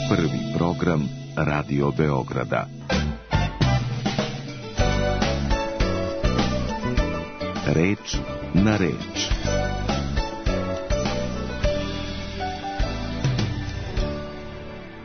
Prvi program Radio Beograda. Reč na reč.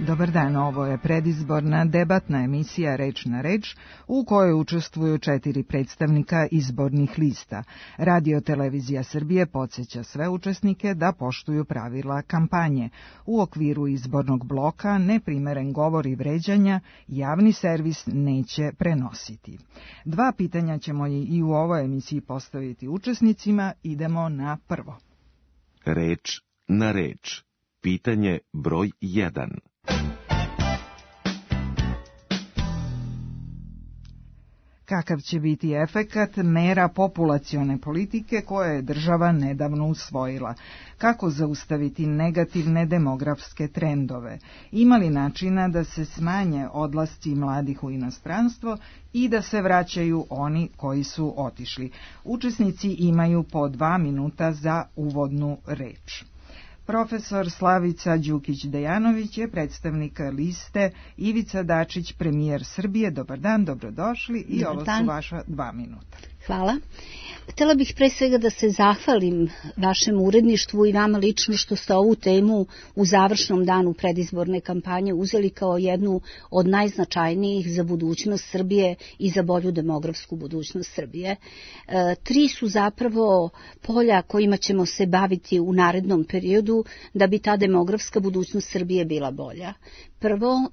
Dobar dan, ovo je predizborna debatna emisija Reč na reč u kojoj učestvuju 4 predstavnika izbornih lista. Radio-televizija Srbije podsjeća sve učesnike da poštuju pravila kampanje. U okviru izbornog bloka neprimeren govor i vređanja javni servis neće prenositi. 2 pitanja ćemo i u ovoj emisiji postaviti učesnicima. Idemo na prvo. Reč na reč. Pitanje broj 1. Kakav će biti efekat mera populacione politike koje je država nedavno usvojila? Kako zaustaviti negativne demografske trendove? Ima li načina da se smanje odlasci mladih u inostranstvo i da se vraćaju oni koji su otišli? Učesnici imaju po 2 minuta za uvodnu reč. Profesor Slavica Đukić-Dejanović je predstavnik liste Ivica Dačić, premijer Srbije. Dobar dan, dobrodošli i dobar ovo dan. Su vaša 2 minuta. Hvala. Htjela bih pre svega da se zahvalim vašem uredništvu i vama lično što ste ovu temu u završnom danu predizborne kampanje uzeli kao jednu od najznačajnijih za budućnost Srbije i za bolju demografsku budućnost Srbije. 3 su zapravo polja kojima ćemo se baviti u narednom periodu da bi ta demografska budućnost Srbije bila bolja. Prvo,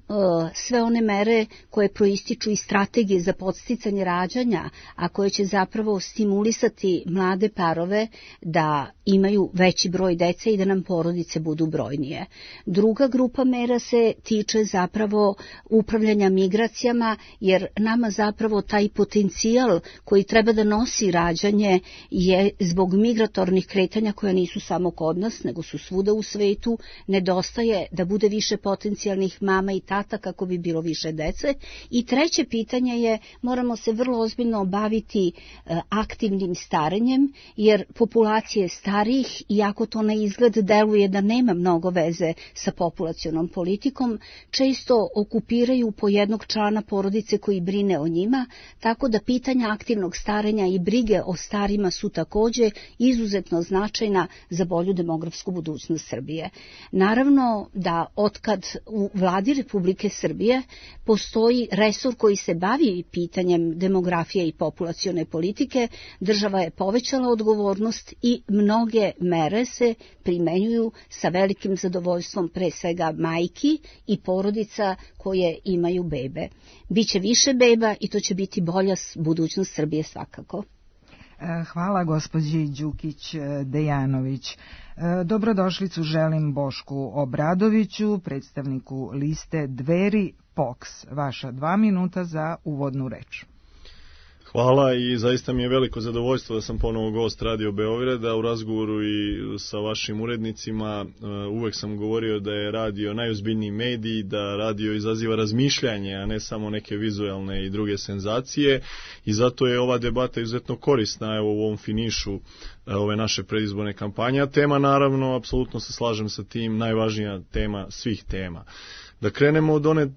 sve one mere koje proističu iz strategije za podsticanje rađanja, a koje će zapravo stimulisati mlade parove da imaju veći broj dece i da nam porodice budu brojnije. Druga grupa mera se tiče zapravo upravljanja migracijama, jer nama zapravo taj potencijal koji treba da nosi rađanje je zbog migratornih kretanja koja nisu samo kod nas, nego su svuda u svetu, nedostaje da bude više potencijalnih mama i tata kako bi bilo više dece. I treće pitanje je, moramo se vrlo ozbiljno baviti aktivnim starenjem, jer populacije starijih, iako to na izgled deluje da nema mnogo veze sa populacionom politikom, često okupiraju po jednog člana porodice koji brine o njima, tako da pitanja aktivnog starenja i brige o starima su takođe izuzetno značajna za bolju demografsku budućnost Srbije. Naravno da otkad u Vladi Republike Srbije postoji resor koji se bavi pitanjem demografije i populacione politike, država je povećala odgovornost i mnoge mere se primenjuju sa velikim zadovoljstvom pre svega majki i porodica koje imaju bebe. Biće više beba i to će biti bolja budućnost Srbije svakako. Hvala gospođi Đukić-Dejanović. Dobrodošlicu želim Bošku Obradoviću, predstavniku liste Dveri POKS. Vaša 2 minuta za uvodnu reč. Hvala i zaista mi je veliko zadovoljstvo da sam ponovo gost Radio Beograda. U razgovoru i sa vašim urednicima uvek sam govorio da je radio najozbiljniji medij, da radio izaziva razmišljanje, a ne samo neke vizualne i druge senzacije, i zato je ova debata izuzetno korisna evo u ovom finišu ove naše predizborne kampanje. A tema, naravno, apsolutno se slažem sa tim, najvažnija tema svih tema. Da krenemo od one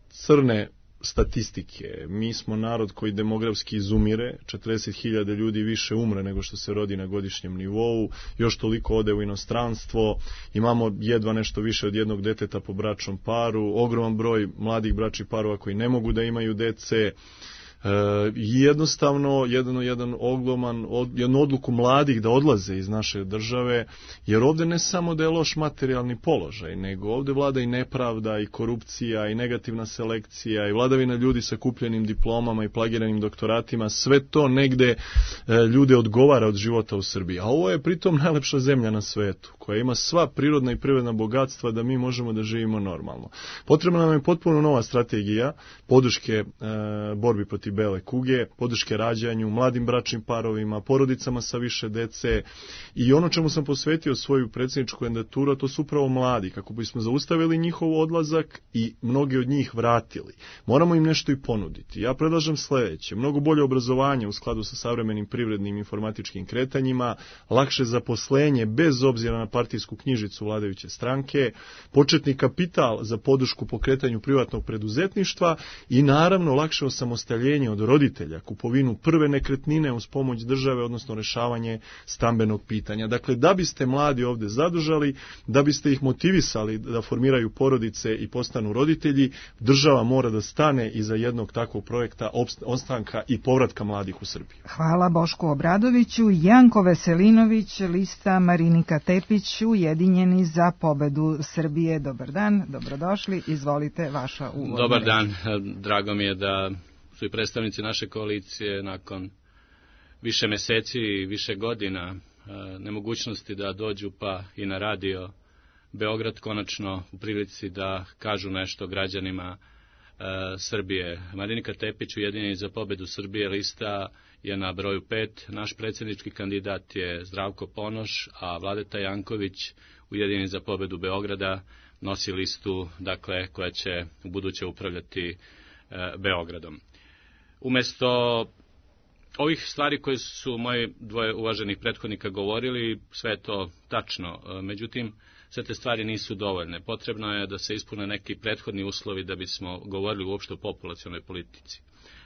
crne statistike. Mi smo narod koji demografski izumire, 40.000 ljudi više umre nego što se rodi na godišnjem nivou, još toliko ode u inostranstvo, imamo jedva nešto više od 1 deteta po bračnom paru, ogroman broj mladih bračnih parova koji ne mogu da imaju dece, jednostavno jednu odluku mladih da odlaze iz naše države, jer ovde ne samo da je loš materijalni položaj, nego ovde vlada i nepravda i korupcija i negativna selekcija i vladavina ljudi sa kupljenim diplomama i plagiranim doktoratima, sve to negde ljude odgovara od života u Srbiji. A ovo je pritom najlepša zemlja na svetu, koja ima sva prirodna i privredna bogatstva da mi možemo da živimo normalno. Potrebna nam je potpuno nova strategija podrške borbi protiv bele kuge, podrške rađanju, mladim bračnim parovima, porodicama sa više dece, i ono čemu sam posvetio svoju predsjedničku kandidaturu, to su upravo mladi, kako bismo zaustavili njihov odlazak i mnogi od njih vratili. Moramo im nešto i ponuditi. Ja predlažem sledeće: mnogo bolje obrazovanje u skladu sa savremenim privrednim informatičkim kretanjima, lakše zaposlenje bez obzira na partijsku knjižicu vladajuće stranke, početni kapital za podršku pokretanju privatnog preduzetništva i naravno lakše osamostaljenje od roditelja, kupovinu prve nekretnine uz pomoć države, odnosno rješavanje stambenog pitanja. Dakle, da biste mladi ovdje zadržali, da biste ih motivisali da formiraju porodice i postanu roditelji, država mora da stane iza jednog takvog projekta ostanka i povratka mladih u Srbiju. Hvala Bošku Obradoviću. Janko Veselinović, lista Marinika Tepić, Ujedinjeni za pobedu Srbije. Dobar dan, dobrodošli, izvolite vaša uvodna. Dobar dan, drago mi je da su i predstavnici naše koalicije nakon više meseci i više godina nemogućnosti da dođu pa i na radio Beograd konačno u prilici da kažu nešto građanima Srbije. Marinika Tepić, Ujedinjeni za pobedu Srbije, lista je na broju 5. Naš predsjednički kandidat je Zdravko Ponoš, a Vladeta Janković, Ujedinjeni za pobedu Beograda, nosi listu, dakle, koja će u buduće upravljati Beogradom. Umjesto ovih stvari koje su moji dvoje uvaženih prethodnika govorili, sve je to tačno. Međutim, sve te stvari nisu dovoljne. Potrebno je da se ispune neki prethodni uslovi da bismo govorili uopšte o populacionoj politici.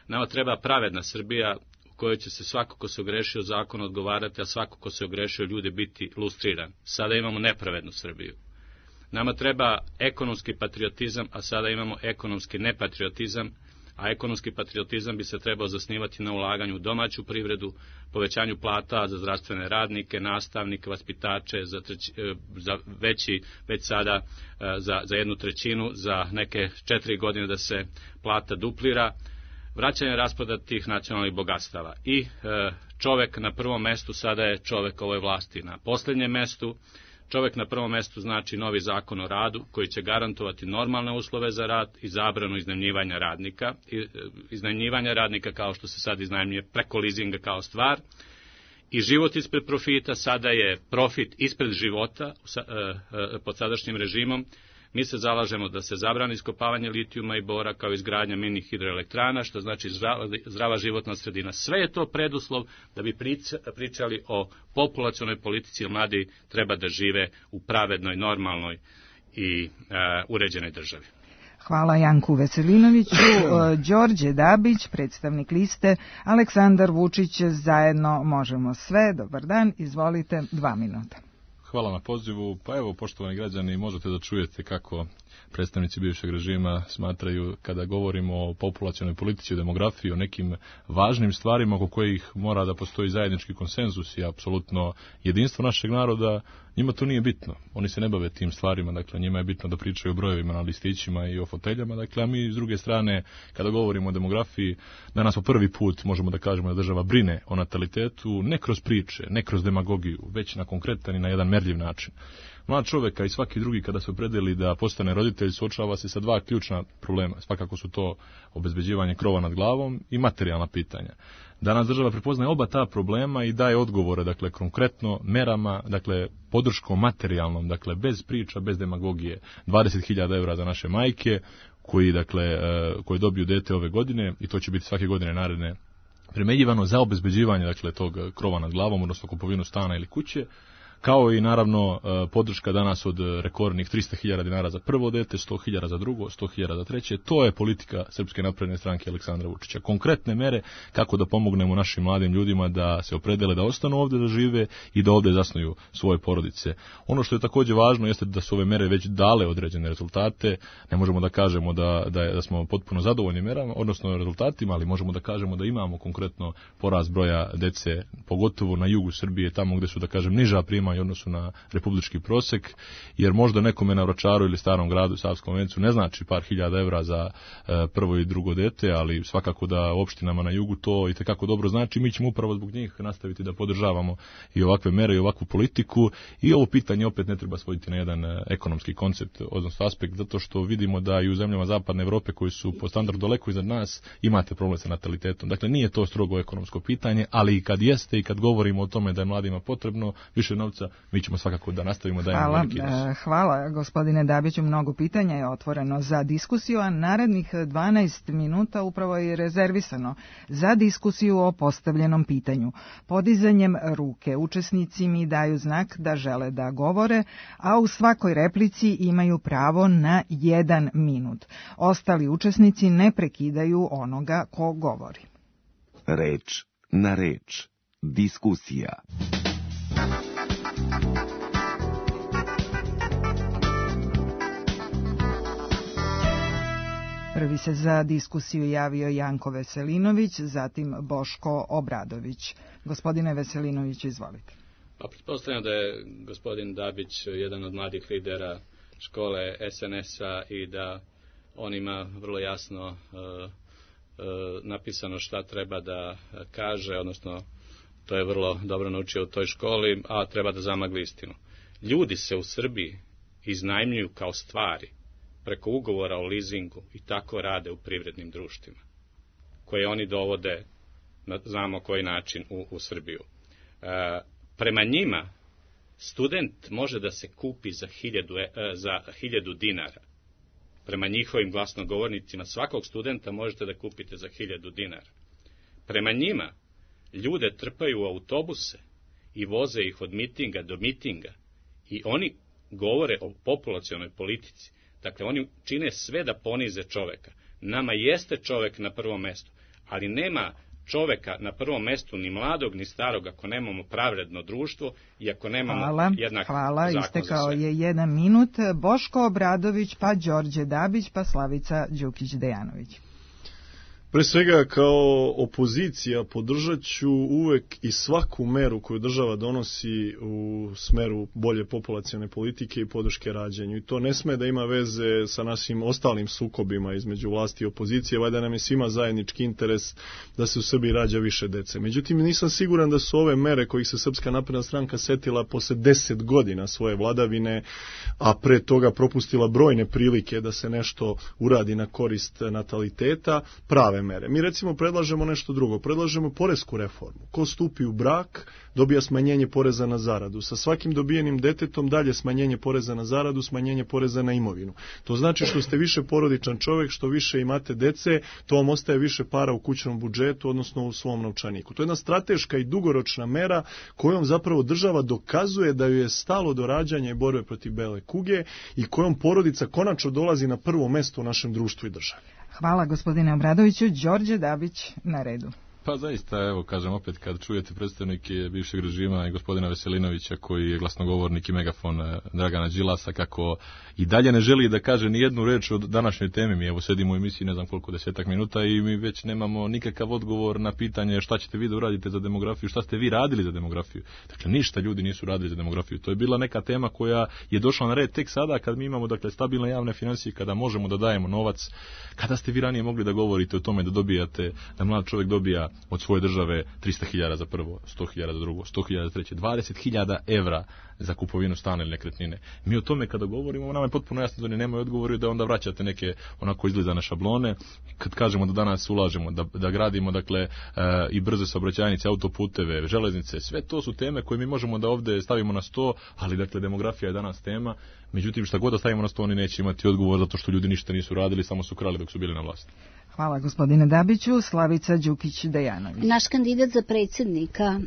Nama treba pravedna Srbija u kojoj će se svako ko se ogrešio zakon odgovarati, a svako ko se ogrešio ljude biti lustriran. Sada imamo nepravednu Srbiju. Nama treba ekonomski patriotizam, a sada imamo ekonomski nepatriotizam, a ekonomski patriotizam bi se trebao zasnivati na ulaganju u domaću privredu, povećanju plata za zdravstvene radnike, nastavnike, vaspitače, već sada za 1/3, za neke 4 godine da se plata duplira, vraćanje rasprodatih nacionalnih bogatstava. I čovek na prvom mestu sada je čovek ovoj vlasti na posljednjem mestu. Čovjek na prvom mestu znači novi zakon o radu koji će garantovati normalne uslove za rad i zabranu iznajmljivanja radnika. Iznajmljivanja radnika kao što se sad iznajmljuje preko lizinga kao stvar. I život ispred profita, sada je profit ispred života pod sadašnjim režimom. Mi se zalažemo da se zabrani iskopavanje litijuma i bora kao izgradnja mini hidroelektrana, što znači zdrava životna sredina. Sve je to preduslov da bi pričali o populacionoj politici, jer mladi treba da žive u pravednoj, normalnoj i uređenoj državi. Hvala Janku Veselinoviću. Đorđe Dabić, predstavnik liste Aleksandar Vučić, Zajedno možemo sve. Dobar dan, izvolite, 2 minuta. Hvala na pozivu. Pa evo, poštovani građani, možete da čujete kako predstavnici bivšeg režima smatraju kada govorimo o populacionoj politici, o demografiji, o nekim važnim stvarima oko kojih mora da postoji zajednički konsenzus i apsolutno jedinstvo našeg naroda, njima to nije bitno. Oni se ne bave tim stvarima, dakle njima je bitno da pričaju o brojevima na listićima i o foteljama, dakle a mi s druge strane kada govorimo o demografiji, danas po prvi put možemo da kažemo da država brine o natalitetu, ne kroz priče, ne kroz demagogiju, već na konkretan i na jedan merljiv način. Mlad čovjek i svaki drugi kada se opredeli da postane roditelj suočava se sa 2 ključna problema. Svakako su to obezbeđivanje krova nad glavom i materijalna pitanja. Danas država prepoznaje oba ta problema i daje odgovore, dakle konkretno merama, dakle podrškom materijalnom, dakle bez priča, bez demagogije. 20.000 € za naše majke koji dobiju dete ove godine i to će biti svake godine naredne primenjivano za obezbeđivanje dakle tog krova nad glavom, odnosno kupovinu stana ili kuće. Kao i naravno podrška danas od rekordnih 300.000 dinara za prvo dete, 100.000 za drugo, 100.000 za treće. To je politika Srpske napredne stranke Aleksandra Vučića. Konkretne mere kako da pomognemo našim mladim ljudima da se opredele da ostanu ovdje da žive i da ovdje zasnuju svoje porodice. Ono što je također važno jeste da su ove mere već dale određene rezultate. Ne možemo da kažemo da smo potpuno zadovoljni merama, odnosno rezultatima, ali možemo da kažemo da imamo konkretno porast broja dece, pogotovo na jugu Srbije, tamo gdje su da kažem niža primanja u odnosu na republički prosek, jer možda nekome na Vračaru ili Starom gradu, Savskom Vencu ne znači par hiljada evra za prvo i drugo dete, ali svakako da opštinama na jugu to itekako dobro znači. Mi ćemo upravo zbog njih nastaviti da podržavamo i ovakve mere i ovakvu politiku i ovo pitanje opet ne treba svoditi na jedan ekonomski koncept, odnosno aspekt, zato što vidimo da i u zemljama zapadne Evrope koji su po standardu daleko iznad nas imate problem sa natalitetom. Dakle, nije to strogo ekonomsko pitanje, ali i kad jeste i kad govorimo o tome da je mladima potrebno više novca, Đilasa, mi ćemo svakako da nastavimo da imamo veliki nos. Hvala gospodine Dabiću, mnogo pitanja je otvoreno za diskusiju, a narednih 12 minuta upravo je rezervisano za diskusiju o postavljenom pitanju. Podizanjem ruke učesnici mi daju znak da žele da govore, a u svakoj replici imaju pravo na 1 minut. Ostali učesnici ne prekidaju onoga ko govori. Reč na reč. Diskusija. Prvi se za diskusiju javio Janko Veselinović, zatim Boško Obradović. Gospodine Veselinović, izvolite. Pa pretpostavljam da je gospodin Dabić jedan od mladih lidera škole SNS-a i da on ima vrlo jasno napisano šta treba da kaže, odnosno to je vrlo dobro naučio u toj školi, a treba da zamagli istinu. Ljudi se u Srbiji iznajmljuju kao stvari preko ugovora o lizingu i tako rade u privrednim društvima, koje oni dovode, znamo koji način, u Srbiju. Prema njima, student može da se kupi za 1000 dinara. Prema njihovim glasnogovornicima, svakog studenta možete da kupite za 1000 dinara. Prema njima, ljude trpaju u autobuse i voze ih od mitinga do mitinga i oni govore o populacionoj politici. Dakle, oni čine sve da ponize čoveka. Nama jeste čovek na prvom mestu, ali nema čoveka na prvom mestu ni mladog ni starog ako nemamo pravedno društvo i ako nemamo jednak zakon za sve. Hvala, istekao je 1 minut. Boško Obradović, pa Đorđe Dabić, pa Slavica Đukić-Dejanović. Pre svega, kao opozicija podržat ću uvek i svaku meru koju država donosi u smeru bolje populacione politike i podrške rađanju. I to ne sme da ima veze sa našim ostalim sukobima između vlasti i opozicije, valjda nam je svima zajednički interes da se u Srbiji rađa više dece. Međutim, nisam siguran da su ove mere kojih se Srpska napredna stranka setila posle 10 godina svoje vladavine, a pre toga propustila brojne prilike da se nešto uradi na korist nataliteta, prave mere. Mi recimo predlažemo nešto drugo, predlažemo poresku reformu. Ko stupi u brak, dobija smanjenje poreza na zaradu. Sa svakim dobijenim detetom dalje smanjenje poreza na zaradu, smanjenje poreza na imovinu. To znači što ste više porodičan čovjek, što više imate dece, to vam ostaje više para u kućnom budžetu, odnosno u svom novčaniku. To je jedna strateška i dugoročna mera kojom zapravo država dokazuje da joj je stalo do rađanja i borbe protiv bele kuge i kojom porodica konačno dolazi na prvo mesto u našem društvu i državi. Hvala gospodine Obradoviću. Đorđe Dabić na redu. Pa zaista, evo, kažem opet, kad čujete predstavnike bivšeg režima i gospodina Veselinovića, koji je glasnogovornik i megafon Dragana Đilasa, kako i dalje ne želi da kaže ni jednu reč o današnjoj temi. Mi evo sedimo u emisiji ne znam koliko, 10 minuta i mi već nemamo nikakav odgovor na pitanje šta ćete vi da uradite za demografiju, šta ste vi radili za demografiju. Dakle, ništa ljudi nisu radili za demografiju. To je bila neka tema koja je došla na red tek sada kad mi imamo, dakle, stabilne javne financije, kada možemo da dajemo novac. Kada ste vi ranije mogli da govorite o tome da dobijate, da mlad čovjek dobija od svoje države 300.000 za prvo, 100.000 za drugo, 100.000 za treće, 20.000 evra za kupovinu stana ili nekretnine. Mi o tome kada govorimo, nama je potpuno jasno da oni nemaju odgovori, da onda vraćate neke onako izgleda na šablone. Kad kažemo da danas ulažemo, da gradimo, dakle, i brze saobraćajnice, autoputeve, železnice, sve to su teme koje mi možemo da ovde stavimo na sto, ali dakle demografija je danas tema. Međutim, šta god da stavimo na sto, oni neće imati odgovor zato što ljudi ništa nisu radili, samo su krali dok su bili na vlasti. Hvala gospodine Dabiću. Slavica Đukić-Dejanović. Naš kandidat za predsjednika,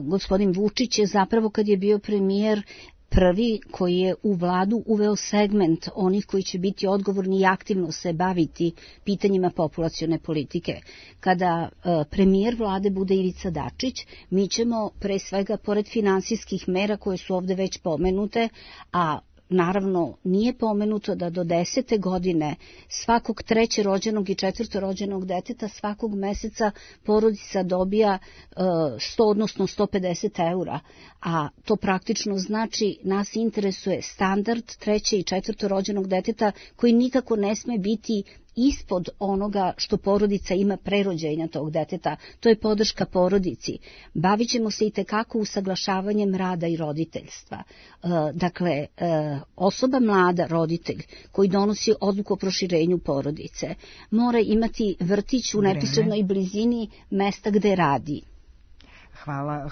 gospodin Vučić, je zapravo kad je bio premijer prvi koji je u vladu uveo segment onih koji će biti odgovorni i aktivno se baviti pitanjima populacione politike. Kada premijer vlade bude Ivica Dačić, mi ćemo pre svega, pored finansijskih mera koje su ovde već pomenute, a naravno nije pomenuto da do 10. godine svakog 3. rođenog i 4. rođenog deteta svakog meseca porodica dobija 100, odnosno 150 eura, a to praktično znači nas interesuje standard 3. i 4. rođenog deteta koji nikako ne sme biti ispod onoga što porodica ima pre rođenja tog deteta, to je podrška porodici. Bavit ćemo se i tekako usaglašavanjem rada i roditeljstva. Dakle, osoba mlada, roditelj, koji donosi odluku o proširenju porodice, mora imati vrtić u neposrednoj blizini mesta gde radi.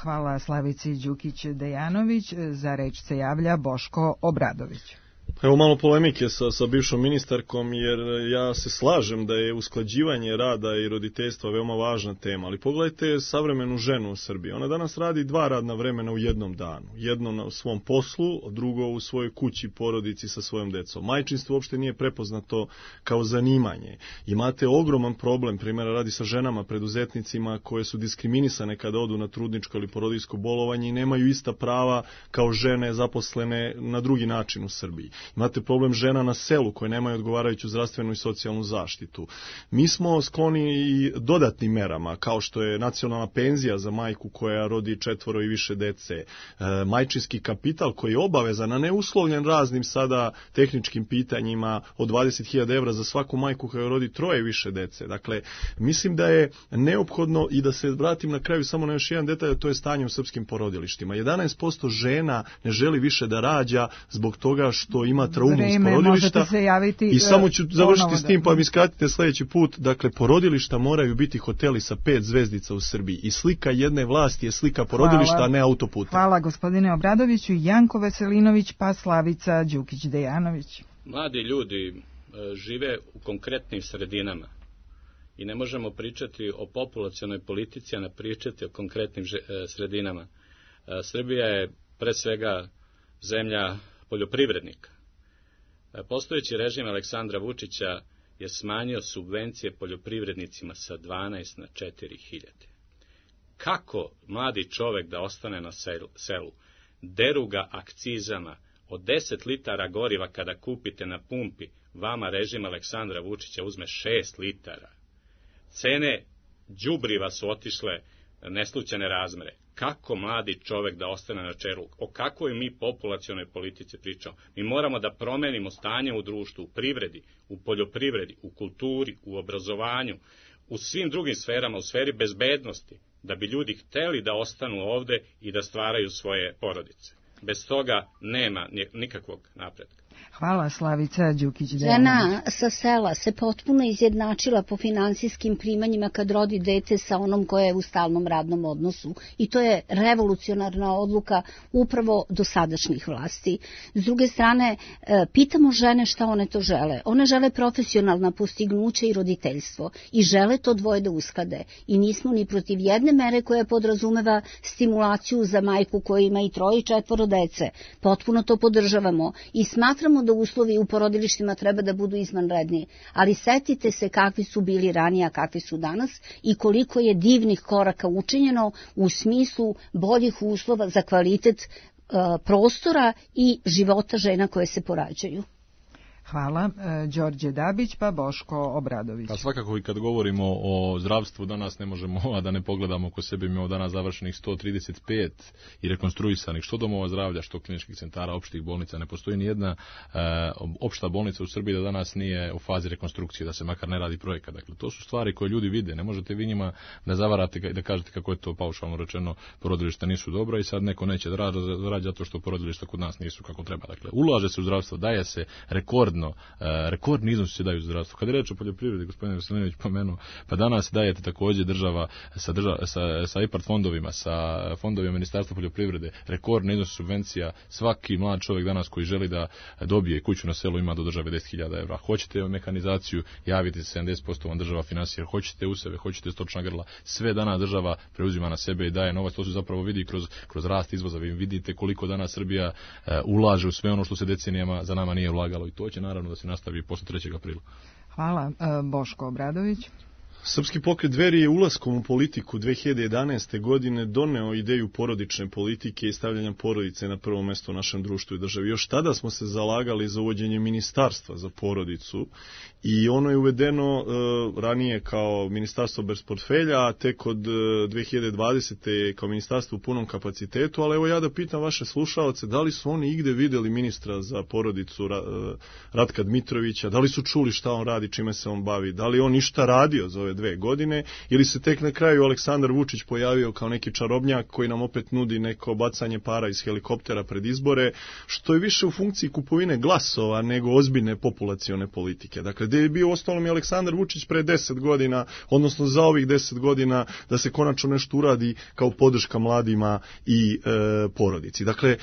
Hvala Slavici Đukić-Dejanović. Za reč se javlja Boško Obradović. Evo malo polemike sa bivšom ministarkom, jer ja se slažem da je usklađivanje rada i roditeljstva veoma važna tema, ali pogledajte savremenu ženu u Srbiji. Ona danas radi 2 radna vremena u jednom danu. Jedno na svom poslu, drugo u svojoj kući, porodici sa svojom decom. Majčinstvo uopšte nije prepoznato kao zanimanje. Imate ogroman problem, primjera radi sa ženama, preduzetnicima koje su diskriminisane kada odu na trudničko ili porodiljsko bolovanje i nemaju ista prava kao žene zaposlene na drugi način u Srbiji. Imate problem žena na selu koje nemaju odgovarajuću zdravstvenu i socijalnu zaštitu. Mi smo skloni i dodatnim merama, kao što je nacionalna penzija za majku koja rodi 4 i više dece, majčinski kapital koji je obavezan, a ne uslovljen raznim sada tehničkim pitanjima od 20.000 evra za svaku majku koja rodi 3 i više dece. Dakle, mislim da je neophodno i da se vratim na kraju samo na još jedan detalj, to je stanje u srpskim porodilištima. 11% žena ne želi više da rađa zbog toga što ima traumu iz porodilišta i samo ću završiti s tim pa mi skratite sljedeći put. Dakle, porodilišta moraju biti hoteli sa 5 zvezdica u Srbiji i slika jedne vlasti je slika porodilišta, a ne autoputa. Hvala gospodine Obradoviću. Janko Veselinović pa Slavica Đukić-Dejanović. Mladi ljudi žive u konkretnim sredinama i ne možemo pričati o populacionoj politici, a ne pričati o konkretnim sredinama. Srbija je pre svega zemlja poljoprivrednika. Postojeći režim Aleksandra Vučića je smanjio subvencije poljoprivrednicima sa 12 na 4.000. Kako mladi čovek da ostane na selu? Deru ga akcizama. Od 10 litara goriva kada kupite na pumpi, vama režim Aleksandra Vučića uzme 6 litara. Cene đubriva su otišle neslućene razmere. Kako mladi čovek da ostane na čelu? O kakvoj mi populacionoj politici pričamo? Mi moramo da promenimo stanje u društvu, u privredi, u poljoprivredi, u kulturi, u obrazovanju, u svim drugim sferama, u sferi bezbednosti, da bi ljudi hteli da ostanu ovde i da stvaraju svoje porodice. Bez toga nema nikakvog napretka. Hvala Slavica Đukić-Dejanović. Žena sa sela se potpuno izjednačila po finansijskim primanjima kad rodi dete sa onom koja je u stalnom radnom odnosu. I to je revolucionarna odluka upravo dosadašnjih vlasti. S druge strane, pitamo žene šta one to žele. One žele profesionalna postignuća i roditeljstvo i žele to dvoje da usklade. I nismo ni protiv jedne mere koja podrazumeva stimulaciju za majku koja ima i 3 i 4 dece. Potpuno to podržavamo i smatramo da uslovi u porodilištima treba da budu izvanredni, ali setite se kakvi su bili ranije, a kakvi su danas i koliko je divnih koraka učinjeno u smislu boljih uslova za kvalitet prostora i života žena koje se porađaju. Hvala. Đorđe Dabić pa Boško Obradović. Pa svakako i kad govorimo o zdravstvu danas ne možemo a da ne pogledamo oko sebe. Imamo danas završenih 135 i rekonstruisanih što domova zdravlja, što kliničkih centara, opštih bolnica. Ne postoji ni jedna opšta bolnica u Srbiji da danas nije u fazi rekonstrukcije, da se makar ne radi projekat. Dakle, to su stvari koje ljudi vide. Ne možete vi njima da zavarate i da kažete kako je to paušalno rečeno, porodilišta nisu dobra i sad neko neće da radi zato što porodilišta kod nas nisu kako treba. Dakle, ulaže se u zdravstvo, daje se rekordni iznos se daju u zdravstvu. Kad je reč o poljoprivredi, gospodin Veselinović pomenuo, pa danas dajete također država sa IPARD fondovima, sa fondovima Ministarstva poljoprivrede, rekordni iznos subvencija. Svaki mlad čovjek danas koji želi da dobije kuću na selu ima do države 10.000 evra. Hoćete mehanizaciju, javite se, 70% vam država finansira. Hoćete useve, hoćete stočna grla, sve danas država preuzima na sebe i daje novac. To se zapravo vidi kroz rast izvoza. Vi vidite koliko danas Srbija ulaže u sve ono što se decenijama za nama nije ulagalo i to će naravno da se nastavi posle 3. aprila. Hvala. Boško Obradović. Srpski pokret Dveri je ulaskom u politiku 2011. godine doneo ideju porodične politike i stavljanja porodice na prvo mesto u našem društvu i državi. Još tada smo se zalagali za uvođenje ministarstva za porodicu i ono je uvedeno ranije kao ministarstvo bez portfelja, a tek od 2020. kao ministarstvo u punom kapacitetu, ali evo ja da pitam vaše slušaoce, da li su oni igde videli ministra za porodicu Ratka Dmitrovića, da li su čuli šta on radi, čime se on bavi, da li on ništa radio za ove ove 2 godine, ili se tek na kraju Aleksandar Vučić pojavio kao neki čarobnjak koji nam opet nudi neko bacanje para iz helikoptera pred izbore, što je više u funkciji kupovine glasova nego ozbiljne populacione politike. Dakle, gde je bio ostalom i Aleksandar Vučić pre 10 godina, odnosno za ovih 10 godina, da se konačno nešto uradi kao podrška mladima i porodici. Dakle,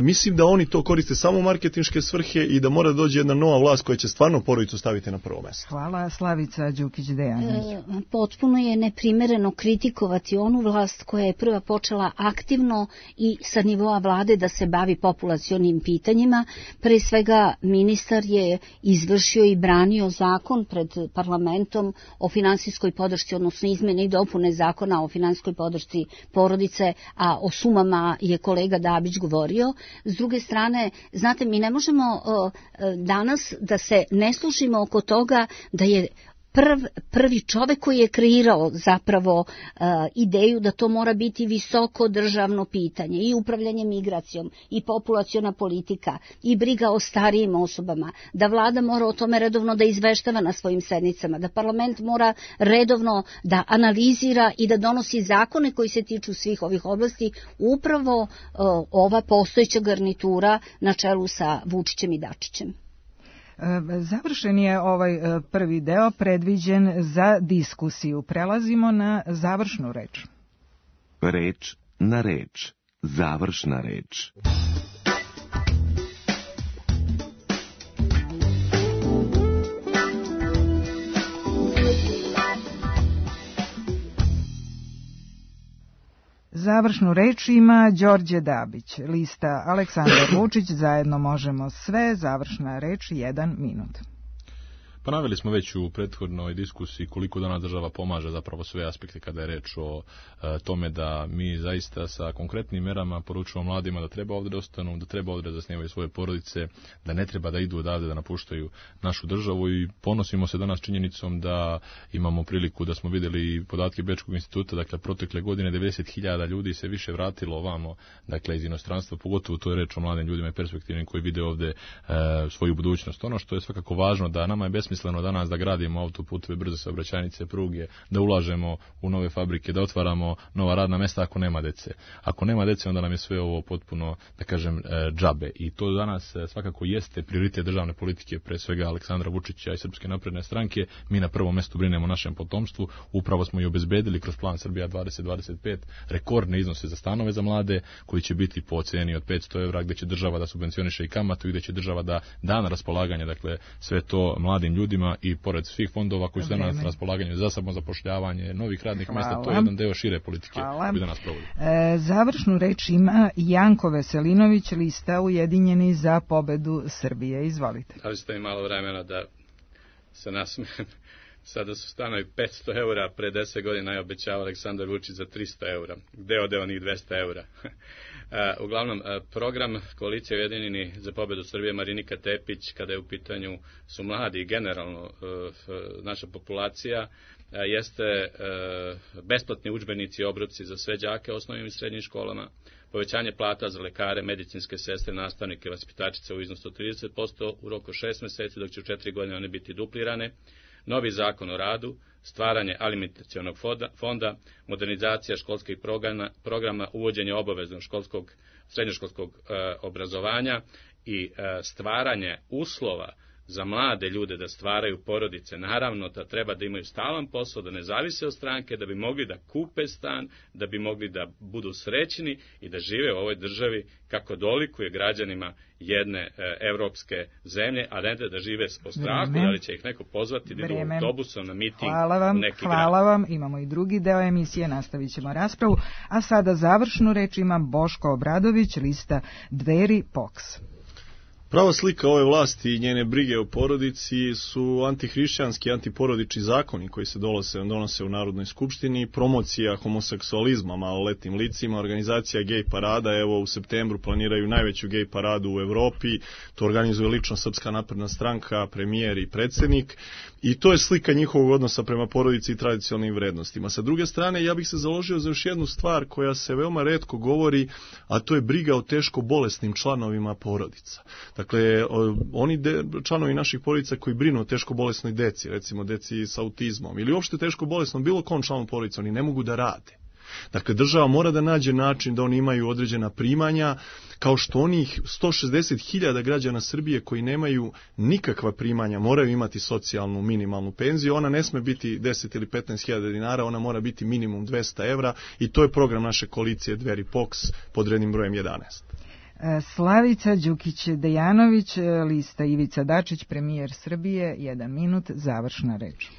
mislim da oni to koriste samo u marketinške svrhe i da mora doći jedna nova vlast koja će stvarno porodicu staviti na prvo mesto. Hvala. Slavica Đukić-Dejanović. Potpuno je neprimereno kritikovati onu vlast koja je prva počela aktivno i sa nivoa vlade da se bavi populacionim pitanjima. Pre svega ministar je izvršio i branio zakon pred parlamentom o finansijskoj podršci, odnosno izmene i dopune zakona o finansijskoj podršci porodice, a o sumama je kolega Dabić govorio. S druge strane, znate, mi ne možemo danas da se ne služimo oko toga da je prvi čovek koji je kreirao zapravo ideju da to mora biti visoko državno pitanje i upravljanje migracijom i populaciona politika i briga o starijim osobama, da vlada mora o tome redovno da izveštava na svojim sednicama, da parlament mora redovno da analizira i da donosi zakone koji se tiču svih ovih oblasti, upravo ova postojeća garnitura na čelu sa Vučićem i Dačićem. Završen je ovaj prvi deo predviđen za diskusiju. Prelazimo na završnu reč. Reč na reč. Završna reč. Završnu reč ima Đorđe Dabić, lista Aleksandar Vučić, zajedno možemo sve, završna reč 1 minut. Pa naveli smo već u prethodnoj diskusiji koliko danas država pomaže zapravo sve aspekte kada je reč o tome da mi zaista sa konkretnim merama poručujemo mladima da treba ovdje da ostanu, da treba ovdje da zasnivaju svoje porodice, da ne treba da idu odavde da napuštaju našu državu i ponosimo se danas činjenicom da imamo priliku da smo vidjeli podatke Bečkog instituta, dakle protekle godine 90.000 ljudi se više vratilo ovamo, dakle iz inostranstva, pogotovo to je reč o mladim ljudima i perspektivnim koji vide ovdje svoju budućnost. Ono što je svakako važno da nama je besmisleno danas da gradimo autoputeve, brze saobraćajnice, pruge, da ulažemo u nove fabrike, da otvaramo nova radna mesta ako nema dece. Ako nema dece, onda nam je sve ovo potpuno, da kažem, džabe. I to danas svakako jeste prioritet državne politike, pre svega Aleksandra Vučića i Srpske napredne stranke. Mi na prvom mestu brinemo o našem potomstvu. Upravo smo i obezbedili kroz plan Srbija 2025 rekordne iznose za stanove za mlade, koji će biti po ceni od 500 evra, gde će država da subvencioniše i kamatu i gde će država da na raspolaganje, dakle, sve to mladim ljudima i pored svih fondova koji su danas na raspolaganju za samozapošljavanje, novih radnih mjesta, to je jedan deo šire politike koji danas provodi. Završnu reč ima Janko Veselinović, lista Ujedinjeni za pobedu Srbije. Izvolite. Da li ste mi malo vremena da se nasmijem? Sada su stanovi 500 eura, pre 10 godina je obećao Aleksandar Vučić za 300 eura. Gde ode onih 200 eura? Uglavnom, program Koalicije Ujedinjeni za pobedu Srbije Marinika Tepić, kada je u pitanju su mladi i generalno naša populacija, jeste besplatni udžbenici i obroci za sve đake u osnovnim i srednjim školama, povećanje plata za lekare, medicinske sestre, nastavnike, vaspitačice u iznosu od 30% u roku 6 meseci, dok će u 4 godine one biti duplirane, novi zakon o radu, stvaranje alimentacionog fonda, modernizacija školskih programa, uvođenje obaveznog srednjoškolskog obrazovanja i stvaranje uslova za mlade ljude da stvaraju porodice. Naravno da treba da imaju stalan posao, da ne zavise od stranke, da bi mogli da kupe stan, da bi mogli da budu srećni i da žive u ovoj državi kako dolikuje građanima jedne evropske zemlje, a ne da žive po strahu, da li će ih neko pozvati da idu autobusom na miting u neki grad. Hvala vam, imamo i drugi deo emisije, nastavit ćemo raspravu, a sada završnu reč ima Boško Obradović, lista Dveri POKS. Prava slika ove vlasti i njene brige o porodici su antihrišćanski i antiporodični zakoni koji se donose u Narodnoj skupštini, promocija homoseksualizma maloletnim licima, organizacija gej parada, evo u septembru planiraju najveću gej paradu u Evropi, to organizuje lično Srpska napredna stranka, premijer i predsjednik, i to je slika njihovog odnosa prema porodici i tradicionalnim vrednostima. Sa druge strane, ja bih se založio za još jednu stvar koja se veoma retko govori, a to je briga o teško bolesnim članovima porodica. Dakle, oni članovi naših porodica koji brinu o teško bolesnoj deci, recimo deci sa autizmom ili uopšte teško bolesnom bilo kom članu porodice, oni ne mogu da rade. Dakle, država mora da nađe način da oni imaju određena primanja, kao što onih 160.000 građana Srbije koji nemaju nikakva primanja moraju imati socijalnu minimalnu penziju. Ona ne sme biti 10 ili 15.000 dinara, ona mora biti minimum 200 evra i to je program naše koalicije Dveri POKS pod rednim brojem 11. Slavica Đukić-Dejanović, lista Ivica Dačić, premijer Srbije, 1 minut, završna reč.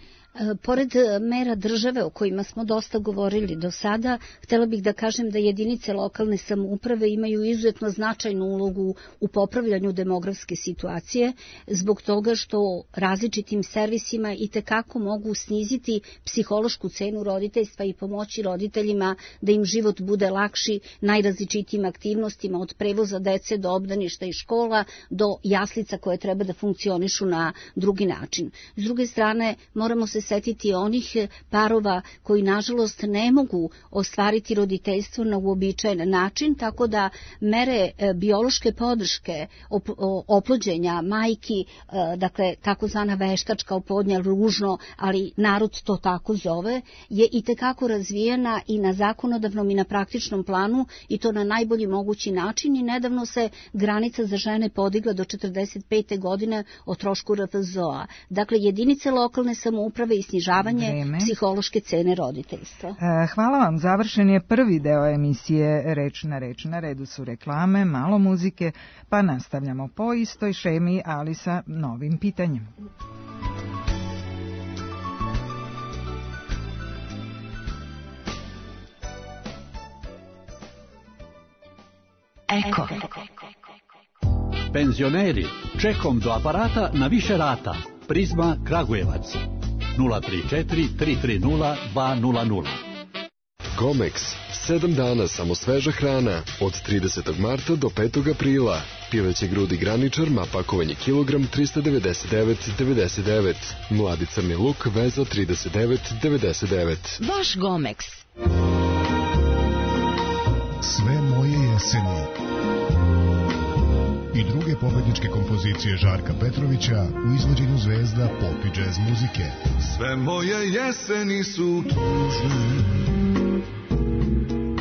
Pored mera države o kojima smo dosta govorili do sada, htjela bih da kažem da jedinice lokalne samouprave imaju izuzetno značajnu ulogu u popravljanju demografske situacije, zbog toga što različitim servisima itekako mogu sniziti psihološku cenu roditeljstva i pomoći roditeljima da im život bude lakši najrazličitijim aktivnostima, od prevoza dece do obdaništa i škola do jaslica koje treba da funkcionišu na drugi način. S druge strane, moramo se setiti onih parova koji nažalost ne mogu ostvariti roditeljstvo na uobičajen način, tako da mere biološke podrške oplođenja majki, dakle takozvana veštačka oplodnja, ružno, ali narod to tako zove, je itekako razvijena i na zakonodavnom i na praktičnom planu, i to na najbolji mogući način, i nedavno se granica za žene podigla do 45. godine o trošku RFZO-a. Dakle, jedinice lokalne samouprave i snižavanje psihološke cene roditeljstva. Hvala vam. Završen je prvi deo emisije Reč na reč. Na redu su reklame, malo muzike, pa nastavljamo po istoj šemi, ali sa novim pitanjem. Eko. Penzioneri, čekom do aparata na više rata. Prizma Kragujevac. 034 330 200. Comex. 7 dana samo sveža hrana. Od 30. marta do 5. aprila. Pileće grudi graničar, ma pakovanje kilogram 399,99. Mladi crni luk, veza 39,99. Vaš Gomex. Sve moje jeseni i druge pobedničke kompozicije Žarka Petrovića u izvođenju zvezda pop i džez muzike. Sve moje jeseni su tužne,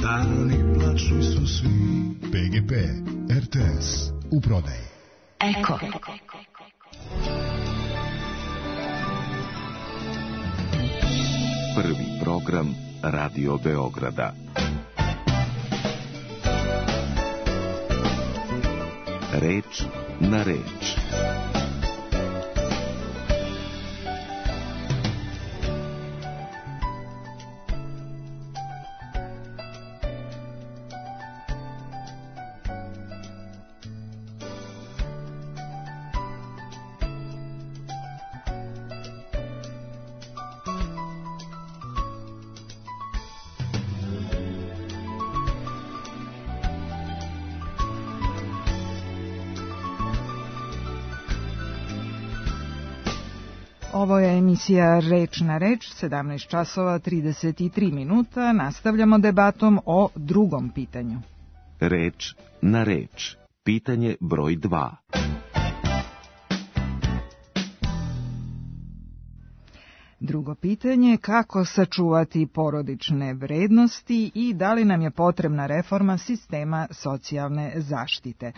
dani plačni su svi. PGP, RTS, u prodaji. Eko. Prvi program Radio Beograda. Reč na reč. Ovo je emisija Reč na reč, 17 časova 33 minuta. Nastavljamo debatom o drugom pitanju. Reč na reč. Pitanje broj 2. Drugo pitanje, kako sačuvati porodične vrednosti i da li nam je potrebna reforma sistema socijalne zaštite.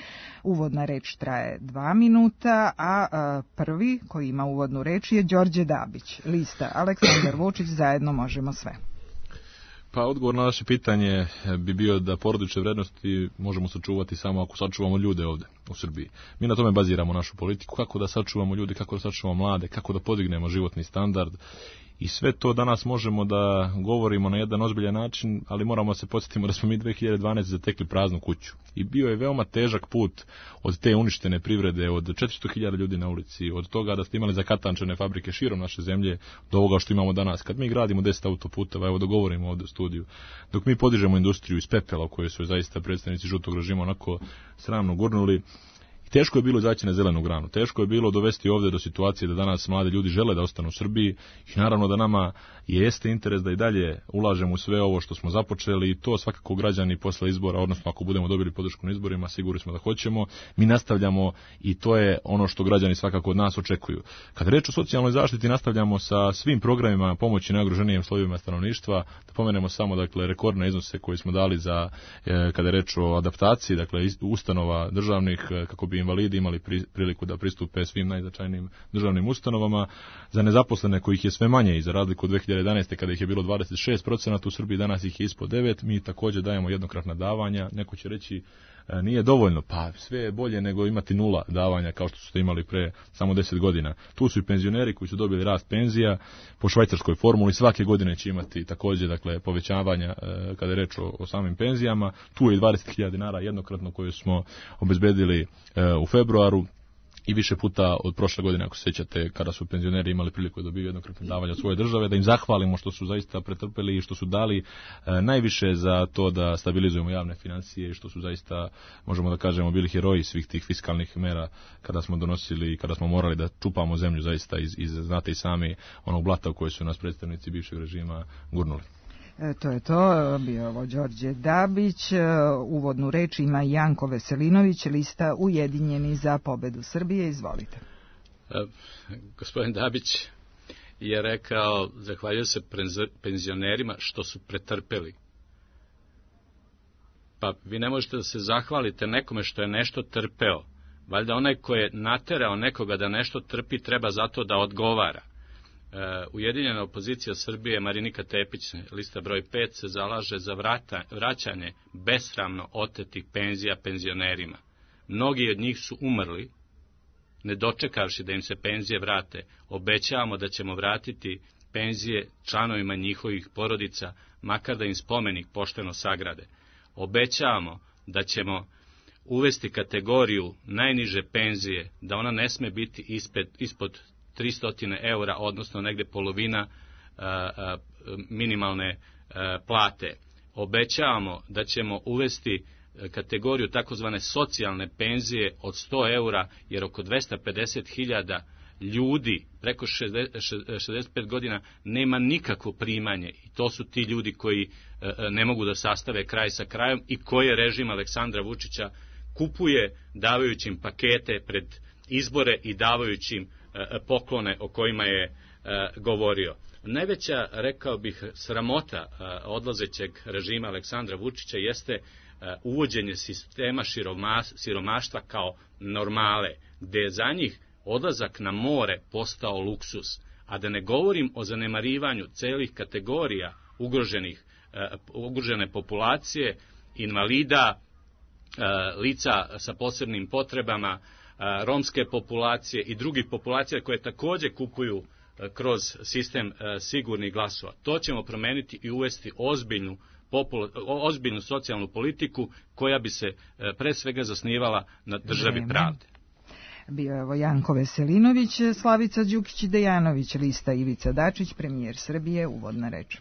Uvodna reč traje 2 minuta, a prvi koji ima uvodnu reč je Đorđe Dabić, lista Aleksandar Vučić, zajedno možemo sve. Pa odgovor na naše pitanje bi bio da porodične vrednosti možemo sačuvati samo ako sačuvamo ljude ovde u Srbiji. Mi na tome baziramo našu politiku, kako da sačuvamo ljude, kako da sačuvamo mlade, kako da podignemo životni standard. I sve to danas možemo da govorimo na jedan ozbiljan način, ali moramo se podsjetiti da smo mi 2012. zatekli praznu kuću. I bio je veoma težak put od te uništene privrede, od 400.000 ljudi na ulici, od toga da ste imali zakatančene fabrike širom naše zemlje, do ovoga što imamo danas. Kad mi gradimo 10 autoputeva, evo da govorimo ovde u studiju, dok mi podižemo industriju iz pepela, u kojoj su zaista predstavnici žutog režima onako sramno gurnuli, Teško je bilo izaći na zelenu granu, teško je bilo dovesti ovdje do situacije da danas mladi ljudi žele da ostanu u Srbiji i naravno da nama jeste interes da i dalje ulažemo u sve ovo što smo započeli i to svakako građani posle izbora, odnosno ako budemo dobili podršku na izborima, sigurni smo da hoćemo, mi nastavljamo i to je ono što građani svakako od nas očekuju. Kad reč o socijalnoj zaštiti, nastavljamo sa svim programima pomoći najugroženijim slojevima stanovništva, da pomenemo samo dakle rekordne iznose koje smo dali za kada je reč o adaptaciji, dakle ustanova državnih kako bi invalidi imali priliku da pristupe svim najznačajnijim državnim ustanovama, za nezaposlene kojih je sve manje i za razliku od 2011. kada ih je bilo 26%, u Srbiji danas ih je ispod 9%, mi također dajemo jednokratna davanja, neko će reći nije dovoljno, pa sve je bolje nego imati 0 davanja kao što ste imali pre samo 10 godina. Tu su i penzioneri koji su dobili rast penzija po švajcarskoj formuli, svake godine će imati također dakle povećavanja kada je reč o samim penzijama. Tu je i 20.000 dinara jednokratno koje smo obezbedili u februaru i više puta od prošle godine, ako se sjećate, kada su penzioneri imali priliku da dobiju jednokratne davanja od svoje države, da im zahvalimo što su zaista pretrpeli i što su dali najviše za to da stabilizujemo javne financije i što su zaista, možemo da kažemo, bili heroji svih tih fiskalnih mera kada smo donosili i kada smo morali da čupamo zemlju zaista iz znate i sami onog blata u kojoj su nas predstavnici bivšeg režima gurnuli. To je to, bio ovo Đorđe Dabić, uvodnu reč ima Janko Veselinović, lista Ujedinjeni za pobedu Srbije, izvolite. Gospodin Dabić je rekao, zahvaljujem se penzionerima što su pretrpeli. Pa vi ne možete da se zahvalite nekome što je nešto trpeo. Valjda onaj ko je naterao nekoga da nešto trpi treba zato da odgovara. Ujedinjena opozicija Srbije, Marinika Tepić, lista broj 5, se zalaže za vraćanje besramno otetih penzija penzionerima. Mnogi od njih su umrli, ne dočekavši da im se penzije vrate. Obećavamo da ćemo vratiti penzije članovima njihovih porodica, makar da im spomenik pošteno sagrade. Obećavamo da ćemo uvesti kategoriju najniže penzije, da ona ne sme biti ispod 300 eura, odnosno negde polovina minimalne plate. Obećavamo da ćemo uvesti kategoriju takozvane socijalne penzije od 100 eura, jer oko 250.000 ljudi preko 65 godina nema nikakvo primanje i to su ti ljudi koji ne mogu da sastave kraj sa krajom i koje režim Aleksandra Vučića kupuje davajući im pakete pred izbore i davajući im poklone o kojima je govorio. Najveća, rekao bih, sramota odlazećeg režima Aleksandra Vučića jeste uvođenje sistema siromaštva kao normale, gde je za njih odlazak na more postao luksus, a da ne govorim o zanemarivanju celih kategorija ugrožene populacije, invalida, lica sa posebnim potrebama, romske populacije i drugih populacija koje također kupuju kroz sistem sigurnih glasova. To ćemo promeniti i uvesti ozbiljnu socijalnu politiku koja bi se pre svega zasnivala na državi pravde. Bio je ovo Janko Veselinović, Slavica Đukić-Dejanović, lista Ivica Dačić, premijer Srbije, uvodna reč.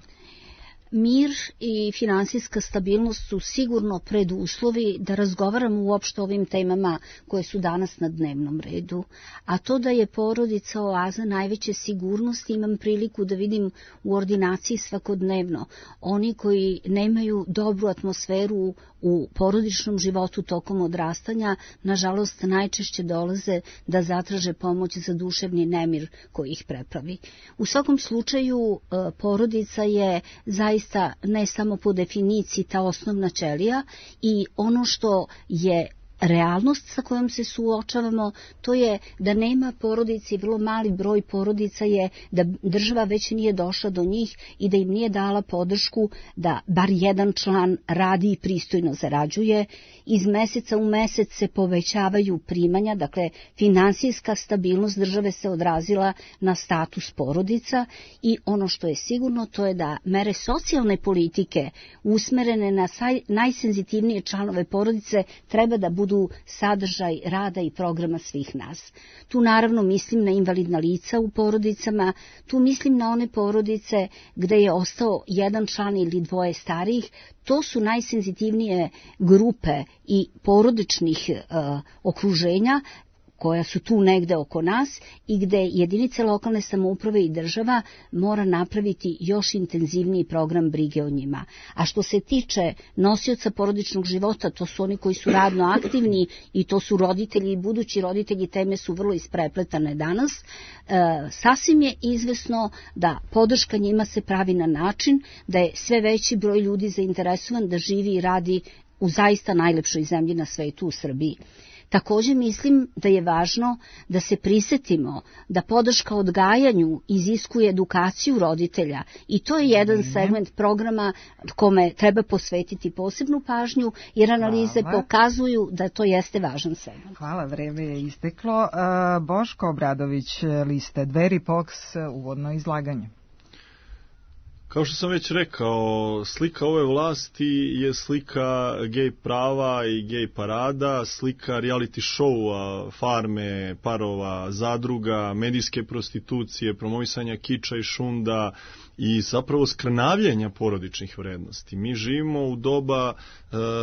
Mir i finansijska stabilnost su sigurno preduslovi da razgovaramo uopšte o ovim temama koje su danas na dnevnom redu. A to da je porodica oaza najveće sigurnosti imam priliku da vidim u ordinaciji svakodnevno. Oni koji nemaju dobru atmosferu u porodičnom životu tokom odrastanja, nažalost najčešće dolaze da zatraže pomoć za duševni nemir koji ih prepravi. U svakom slučaju porodica je zaista ne samo po definiciji ta osnovna ćelija i ono što je realnost sa kojom se suočavamo, to je da nema porodici, vrlo mali broj porodica je da država već nije došla do njih i da im nije dala podršku da bar jedan član radi i pristojno zarađuje. Iz meseca u mesec se povećavaju primanja, dakle finansijska stabilnost države se odrazila na status porodica i ono što je sigurno to je da mere socijalne politike usmerene na najsenzitivnije članove porodice treba da budu budu sadržaj rada i programa svih nas. Tu naravno mislim na invalidna lica u porodicama, tu mislim na one porodice gde je ostao jedan član ili dvoje starijih. To su najsenzitivnije grupe i porodičnih okruženja koja su tu negde oko nas i gde jedinice lokalne samouprave i država mora napraviti još intenzivniji program brige o njima. A što se tiče nosioca porodičnog života, to su oni koji su radno aktivni i to su roditelji i budući roditelji, teme su vrlo isprepletane danas. Sasvim je izvesno da podrška njima se pravi na način da je sve veći broj ljudi zainteresovan da živi i radi u zaista najlepšoj zemlji na svetu, u Srbiji. Također mislim da je važno da se prisetimo da podrška odgajanju iziskuje edukaciju roditelja i to je jedan segment programa kome treba posvetiti posebnu pažnju, jer analize pokazuju da to jeste važan segment. Hvala, vreme je isteklo. Boško Obradović, liste Dveri, POKS, uvodno izlaganje. Kao što sam već rekao, slika ove vlasti je slika gej prava i gej parada, slika reality showa, farme, parova, zadruga, medijske prostitucije, promovisanja kiča i šunda i zapravo skrnavljenja porodičnih vrednosti. Mi živimo u doba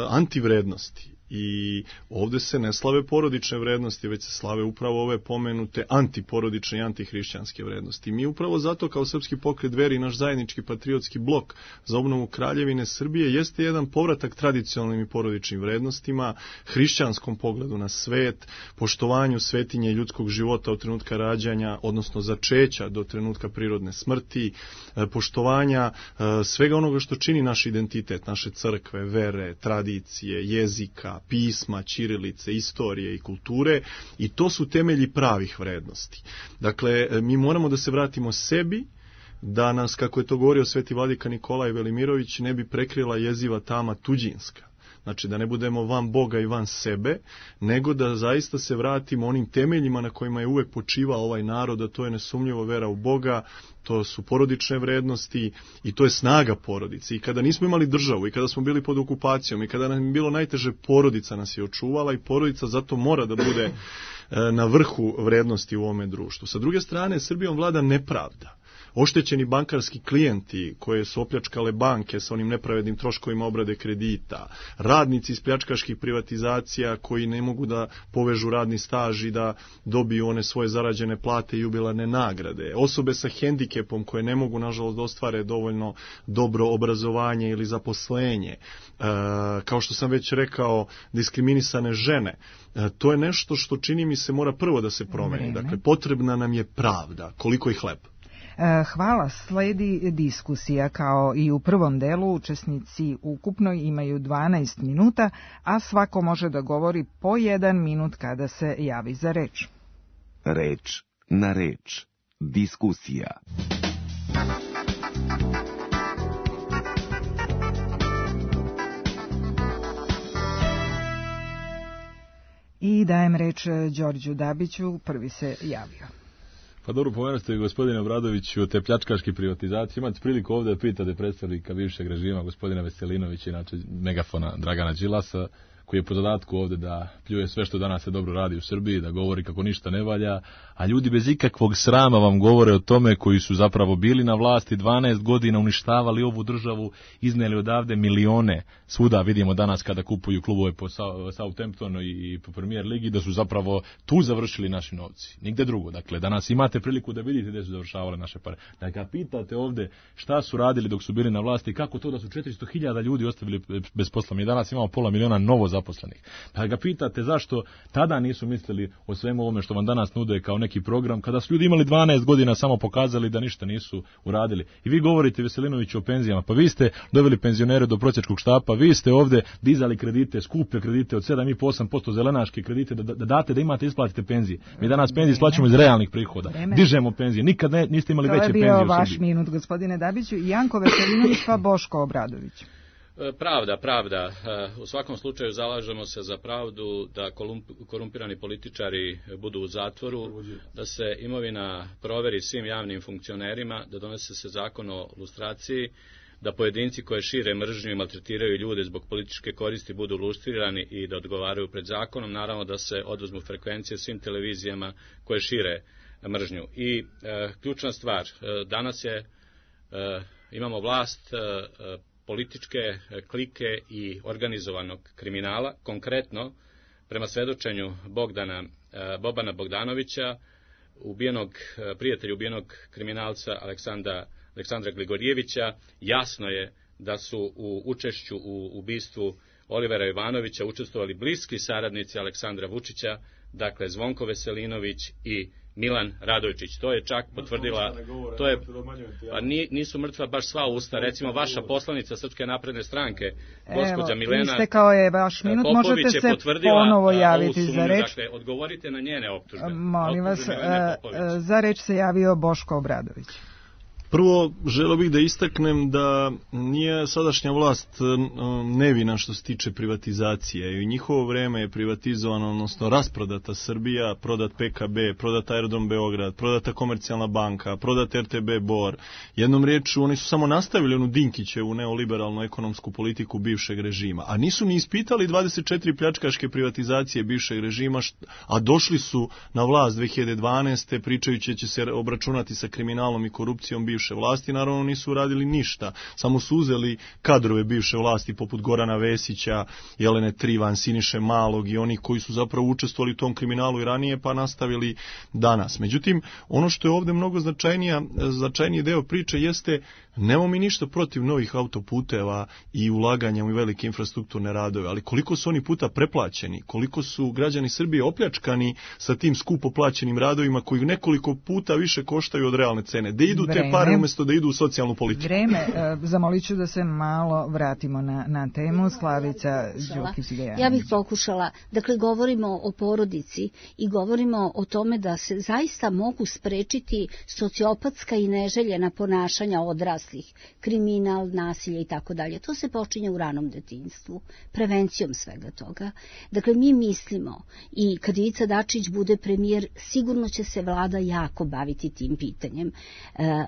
antivrednosti. I ovdje se ne slave porodične vrednosti, već se slave upravo ove pomenute antiporodične i antihrišćanske vrednosti. Mi upravo zato kao Srpski pokret Dveri i naš zajednički patriotski blok za obnovu Kraljevine Srbije jeste jedan povratak tradicionalnim i porodičnim vrednostima, hrišćanskom pogledu na svet, poštovanju svetinje ljudskog života od trenutka rađanja, odnosno začeća do trenutka prirodne smrti, poštovanja svega onoga što čini naš identitet, naše crkve, vere, tradicije, jezika, pisma, ćirilice, istorije i kulture, i to su temelji pravih vrednosti. Dakle, mi moramo da se vratimo sebi, da nas, kako je to govorio sveti vladika Nikolaj Velimirović, ne bi prekrila jeziva tama tuđinska. Znači da ne budemo van Boga i van sebe, nego da zaista se vratimo onim temeljima na kojima je uvek počivao ovaj narod, a to je nesumnjivo vera u Boga, to su porodične vrednosti i to je snaga porodice. I kada nismo imali državu i kada smo bili pod okupacijom i kada nam je bilo najteže, porodica nas je očuvala i porodica zato mora da bude na vrhu vrednosti u ovome društvu. Sa druge strane, Srbijom vlada nepravda. Oštećeni bankarski klijenti koje su opljačkale banke sa onim nepravednim troškovima obrade kredita, radnici iz pljačkaških privatizacija koji ne mogu da povežu radni staž i da dobiju one svoje zarađene plate i jubilarne nagrade, osobe sa hendikepom koje ne mogu nažalost da ostvare dovoljno dobro obrazovanje ili zaposlenje, kao što sam već rekao, diskriminisane žene. To je nešto što čini mi se mora prvo da se promeni. Dakle, potrebna nam je pravda, koliko i hleb. Hvala, sledi diskusija. Kao i u prvom delu, učesnici ukupno imaju 12 minuta, a svako može da govori po 1 minut kada se javi za reč. Reč na reč. Diskusija. I dajem reč Đorđu Dabiću, prvi se javio. Pa dobro, pomenuli ste, gospodine Obradoviću, o te pljačkaške privatizacije. Imate priliku ovdje da pitate predstavnika bivšeg režima, gospodina Veselinovića, inače megafona Dragana Đilasa, koji je po zadatku ovdje da pljuje sve što danas se dobro radi u Srbiji, da govori kako ništa ne valja, a ljudi bez ikakvog srama vam govore o tome koji su zapravo bili na vlasti 12 godina, uništavali ovu državu, izneli odavde milione. Svuda vidimo danas kada kupuju klubove po Southamptonu i po Premier ligi, da su zapravo tu završili naši novci. Nigde drugo. Dakle, danas imate priliku da vidite gdje su završavale naše pare. Da ga pitate ovdje šta su radili dok su bili na vlasti, kako to da su 400.000 ljudi ostavili bez posla. Mi danas imamo 500.000 novo zaposlenih. Da ga pitate zašto tada nisu mislili o svemu ovome što vam danas nude kao neki program, kada su ljudi imali 12 godina samo pokazali da ništa nisu uradili. I vi govorite, Veselinoviću, o penzijama. Pa vi ste doveli penzionere do prosjačkog štapa, vi ste ovdje dizali kredite, skupe kredite od 7,5-8% zelenaške kredite, da date, da imate, isplatite penzije. Mi danas penzije isplaćamo iz realnih prihoda. Dižemo penzije. Nikad niste imali veće penzije u Srbiji. To je bio vaš minut, gospodine Dabiću. Janko Veselinović pa Boško Obradović. Pravda. U svakom slučaju zalažemo se za pravdu, da korumpirani političari budu u zatvoru, da se imovina proveri svim javnim funkcionerima, da donese se zakon o lustraciji, da pojedinci koje šire mržnju i maltretiraju ljude zbog političke koristi budu lustrirani i da odgovaraju pred zakonom, naravno da se oduzmu frekvencije svim televizijama koje šire mržnju. I ključna stvar, danas imamo vlast političke klike i organizovanog kriminala, konkretno prema svedočenju Bobana Bogdanovića, prijatelja ubijenog kriminalca Aleksandra Gligorjevića, jasno je da su u učešću u ubistvu Olivera Ivanovića učestvovali bliski saradnici Aleksandra Vučića, dakle Zvonko Veselinović i Milan Radojičić. To je čak potvrdila, nisu mrtva baš sva usta, recimo vaša poslanica Srpske napredne stranke, gospođa Milena Popović je potvrdila ovu sumnju, dakle odgovorite na njene optužbe. Molim vas, za reč se javio Boško Obradović. Prvo, želeo bih da istaknem da nije sadašnja vlast nevina što se tiče privatizacije. I u njihovo vreme je privatizovana, odnosno rasprodata Srbija, prodat PKB, prodat Aerodrom Beograd, prodata Komercijalna banka, prodat RTB Bor. Jednom riječu, oni su samo nastavili onu Dinkićevu neoliberalnu ekonomsku politiku bivšeg režima. A nisu ni ispitali 24 pljačkaške privatizacije bivšeg režima, a došli su na vlast 2012. pričajući će se obračunati sa kriminalom i korupcijom bivše vlasti, naravno nisu uradili ništa, samo su uzeli kadrove bivše vlasti poput Gorana Vesića, Jelene Trivan, Siniše Malog i onih koji su zapravo učestvovali u tom kriminalu i ranije pa nastavili danas. Međutim, ono što je ovdje mnogo značajniji deo priče jeste, nemamo mi ništa protiv novih autoputeva i ulaganja u velike infrastrukturne radove, ali koliko su oni puta preplaćeni, koliko su građani Srbije opljačkani sa tim skupo plaćenim radovima koji nekoliko puta više koštaju od realne cene. Da idu te pare umjesto da idu u socijalnu politiku. Vreme, zamolit ću da se malo vratimo na temu. Slavica Đukić-Dejanović. Ja bih pokušala, dakle govorimo o porodici i govorimo o tome da se zaista mogu sprečiti sociopatska i neželjena ponašanja odraslih, kriminal, nasilje i tako dalje. To se počinje u ranom detinjstvu, prevencijom svega toga. Dakle, mi mislimo i kad Ivica Dačić bude premijer, sigurno će se vlada jako baviti tim pitanjem.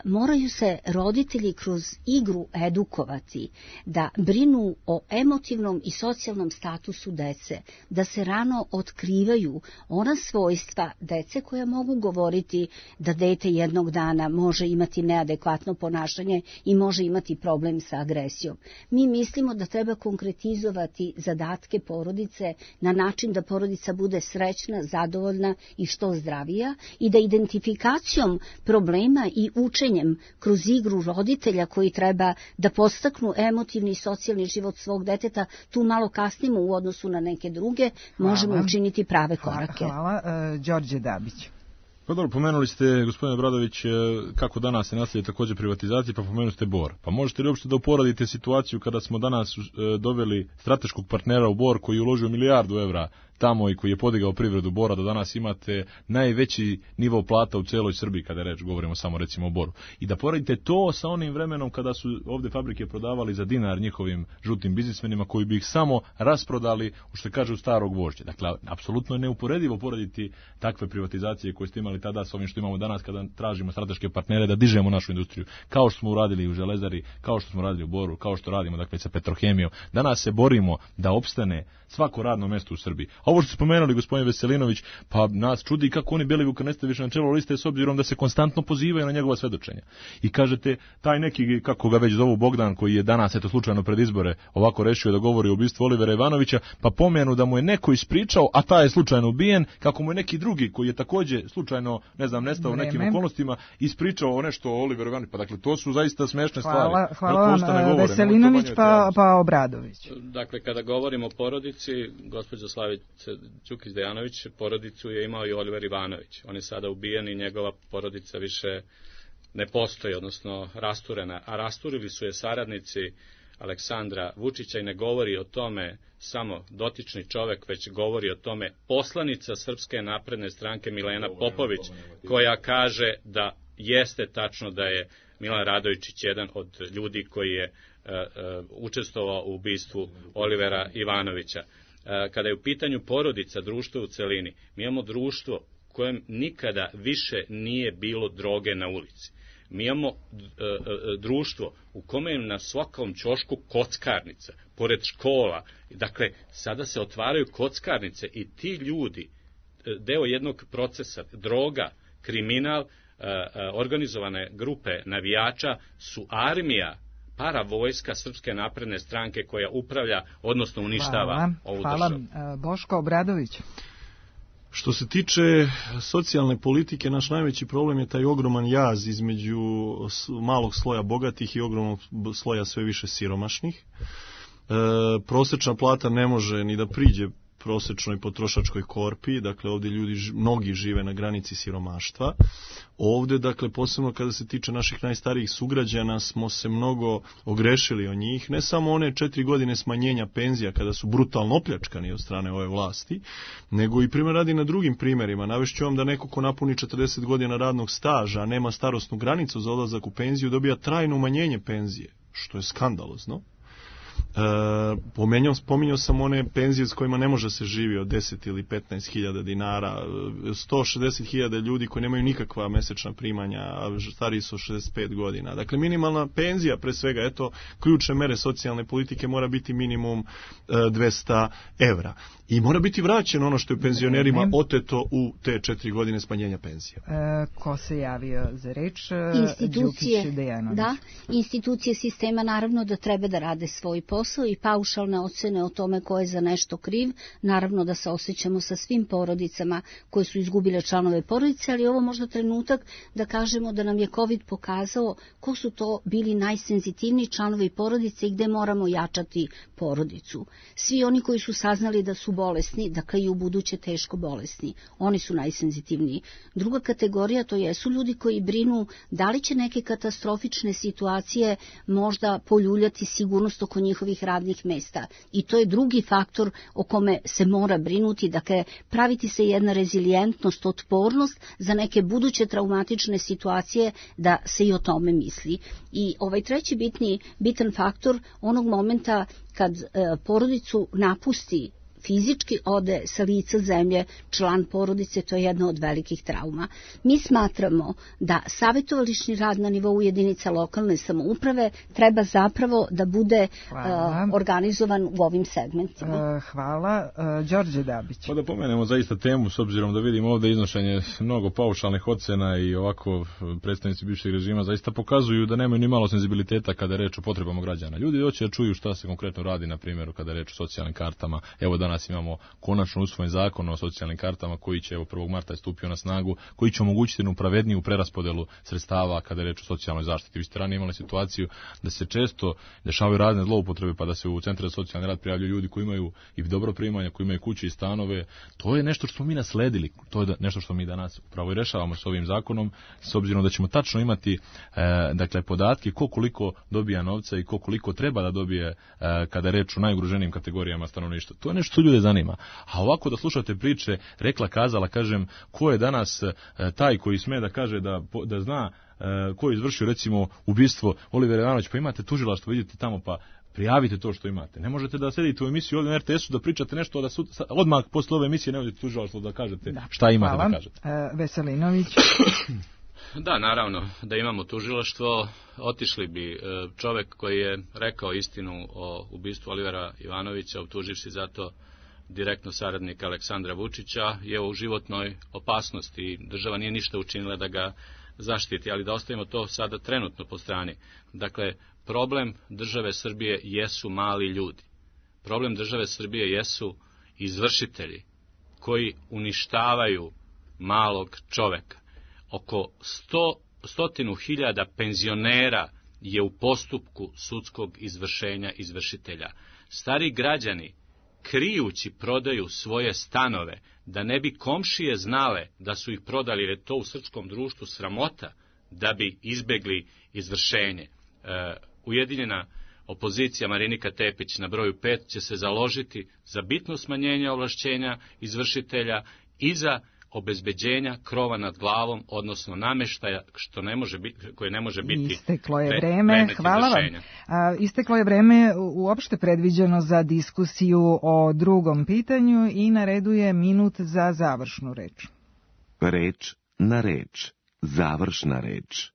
Moraju se roditelji kroz igru edukovati da brinu o emotivnom i socijalnom statusu dece, da se rano otkrivaju ona svojstva dece koja mogu govoriti da dete jednog dana može imati neadekvatno ponašanje i može imati problem sa agresijom. Mi mislimo da treba konkretizovati zadatke porodice na način da porodica bude srećna, zadovoljna i što zdravija i da identifikacijom problema i učenjem kroz igru roditelja koji treba da podstaknu emotivni i socijalni život svog deteta, tu malo kasnimo u odnosu na neke druge, možemo učiniti prave korake. Hvala. Đorđe Dabić. Pa dobro, pomenuli ste, gospodine Bradović, kako danas se naslije također privatizacije, pa pomenuli ste Bor. Pa možete li uopšte da uporadite situaciju kada smo danas doveli strateškog partnera u Bor koji je uložio €1 milijardu tamo i koji je podigao privredu Bora, da danas imate najveći nivo plata u celoj Srbiji, kada govorimo samo recimo o Boru. I da poredite to sa onim vremenom kada su ovdje fabrike prodavali za dinar njihovim žutim biznismenima koji bi ih samo rasprodali, što kažu, starog vožđa. Dakle, apsolutno je neuporedivo porediti takve privatizacije koje ste imali tada sa ovim što imamo danas kada tražimo strateške partnere da dižemo našu industriju. Kao što smo uradili u Železari, kao što smo radili u Boru, kao što radimo dakle sa Petrohemijom. Danas se borimo da opstane svako radno mjesto u Srbiji. Ovo što ste spomenuli, gospodin Veselinović, pa nas čudi kako oni Belivuka ne staviše na čelo liste s obzirom da se konstantno pozivaju na njegova svedočenja. I kažete, taj neki, kako ga već zovu, Bogdan, koji je danas, eto slučajno pred izbore, ovako rešio da govori o ubistvu Olivera Ivanovića, pa pomenu da mu je neko ispričao, a taj je slučajno ubijen, kako mu je neki drugi, koji je također slučajno, ne znam, nestao u nekim okolnostima, ispričao nešto o Oliveru Ivanoviću. Pa dakle, to su zaista smešne stvari. Hvala vam, Veselinović, pa Obradović. Dakle, kada govorimo o porodici, gospođa Slavica Đukić-Dejanović, porodicu je imao i Oliver Ivanović. On je sada ubijen i njegova porodica više ne postoji, odnosno rasturena. A rasturili su je saradnici Aleksandra Vučića i ne govori o tome samo dotični čovek, već govori o tome poslanica Srpske napredne stranke Milena Popović, koja kaže da jeste tačno da je Milan Radojičić jedan od ljudi koji je učestvovao u ubistvu Olivera Ivanovića. Kada je u pitanju porodica, društvo u celini, mi imamo društvo kojem nikada više nije bilo droge na ulici. Mi imamo društvo u kome je na svakom ćošku kockarnica, pored škola. Dakle, sada se otvaraju kockarnice i ti ljudi, deo jednog procesa, droga, kriminal, organizovane grupe navijača su armija, paravojska Srpske napredne stranke koja upravlja, odnosno uništava ovu državu. Hvala. Boško Obradović. Što se tiče socijalne politike, naš najveći problem je taj ogroman jaz između malog sloja bogatih i ogromnog sloja sve više siromašnih. Prosečna plata ne može ni da priđe prosečnoj potrošačkoj korpi, dakle ovdje mnogi žive na granici siromaštva. Ovdje, dakle, posebno kada se tiče naših najstarijih sugrađana, smo se mnogo ogrešili o njih, ne samo one 4 godine smanjenja penzija kada su brutalno opljačkani od strane ove vlasti, nego i primjer radi na drugim primjerima. Navešću vam da neko ko napuni 40 godina radnog staža, a nema starosnu granicu za odlazak u penziju, dobija trajno umanjenje penzije, što je skandalozno. Pominjao sam one penzije s kojima ne može se živi od 10 ili 15 hiljada dinara, 160 hiljada ljudi koji nemaju nikakva mesečna primanja, a stariji su 65 godina. Dakle, minimalna penzija, pre svega, eto, ključne mere socijalne politike mora biti minimum 200 evra. I mora biti vraćeno ono što je penzionerima oteto u te 4 godine smanjenja penzija. Ko se javio za reč? Institucije sistema naravno da treba da rade svoj posao i paušalne ocene o tome ko je za nešto kriv. Naravno da se osjećamo sa svim porodicama koje su izgubile članove porodice, ali ovo možda trenutak da kažemo da nam je COVID pokazao ko su to bili najsenzitivniji članovi porodice i gde moramo jačati porodicu. Svi oni koji su saznali da su bolesni, dakle i u buduće teško bolesni, oni su najsenzitivniji. Druga kategorija to jesu ljudi koji brinu da li će neke katastrofične situacije možda poljuljati sigurnost oko njihovih radnih mesta. I to je drugi faktor o kome se mora brinuti, dakle praviti se jedna rezilijentnost, otpornost za neke buduće traumatične situacije, da se i o tome misli. I ovaj treći bitan faktor onog momenta kad porodicu napusti, fizički ode sa lica zemlje član porodice, to je jedna od velikih trauma. Mi smatramo da savjetovališni rad na nivou jedinica lokalne samouprave treba zapravo da bude organizovan u ovim segmentima. Hvala. Đorđe Dabić. Pa da pomenemo zaista temu, s obzirom da vidimo ovdje iznošenje mnogo paušalnih ocena i ovako predstavnici bivšeg režima zaista pokazuju da nemaju ni malo senzibiliteta kada je reč o potrebama građana. Ljudi hoće da čuju šta se konkretno radi, na primjer, kada je reč o socijalnim kartama. Evo danas imamo konačno usvojen zakon o socijalnim kartama koji će 1. marta stupio na snagu, koji će omogućiti jednu pravedniju preraspodelu sredstava kada je reč o socijalnoj zaštiti. Vi ste ranije imali situaciju da se često dešavaju razne zloupotrebe, pa da se u centre za socijalni rad prijavljuju ljudi koji imaju i dobro primanja, koji imaju kuće i stanove. To je nešto što smo mi nasledili, to je nešto što mi danas upravo i rešavamo s ovim zakonom, s obzirom da ćemo tačno imati dakle podatke ko koliko dobija novca i ko koliko treba da dobije kada je reč o najugroženijim kategorijama stanovništva. To je nešto što ljude zanima. A ovako da slušate priče, rekla, kazala, kažem, ko je danas taj koji sme da kaže da zna ko je izvršio recimo ubistvo Olivera Ivanovića, pa imate tužilaštvo, vidite tamo pa prijavite to što imate. Ne možete da sedite u emisiji ovdje na RTS-u da pričate nešto, da odmah posle ove emisije ne odete tužilaštvo da kažete šta imate da kažete. Veselinović. Da, naravno, da imamo tužilaštvo, otišli bi čovek koji je rekao istinu o ubistvu Olivera Ivanovića, optuživši zato direktno saradnika Aleksandra Vučića, je u životnoj opasnosti. Država nije ništa učinila da ga zaštiti, ali da ostavimo to sada trenutno po strani. Dakle, problem države Srbije jesu mali ljudi. Problem države Srbije jesu izvršitelji koji uništavaju malog čoveka. Oko 100.000 penzionera je u postupku sudskog izvršenja izvršitelja. Stari građani, krijući, prodaju svoje stanove, da ne bi komšije znale da su ih prodali, jer je to u srpskom društvu sramota, da bi izbegli izvršenje. Ujedinjena opozicija Marinika Tepić na broju 5 će se založiti za bitno smanjenje ovlašćenja izvršitelja i za obezbeđenja krova nad glavom, odnosno nameštaja koje ne može biti isteklo je vreme. Hvala vam. Isteklo je vreme uopšte predviđeno za diskusiju o drugom pitanju i na redu je minut za završnu reč. Reč na reč. Završna reč.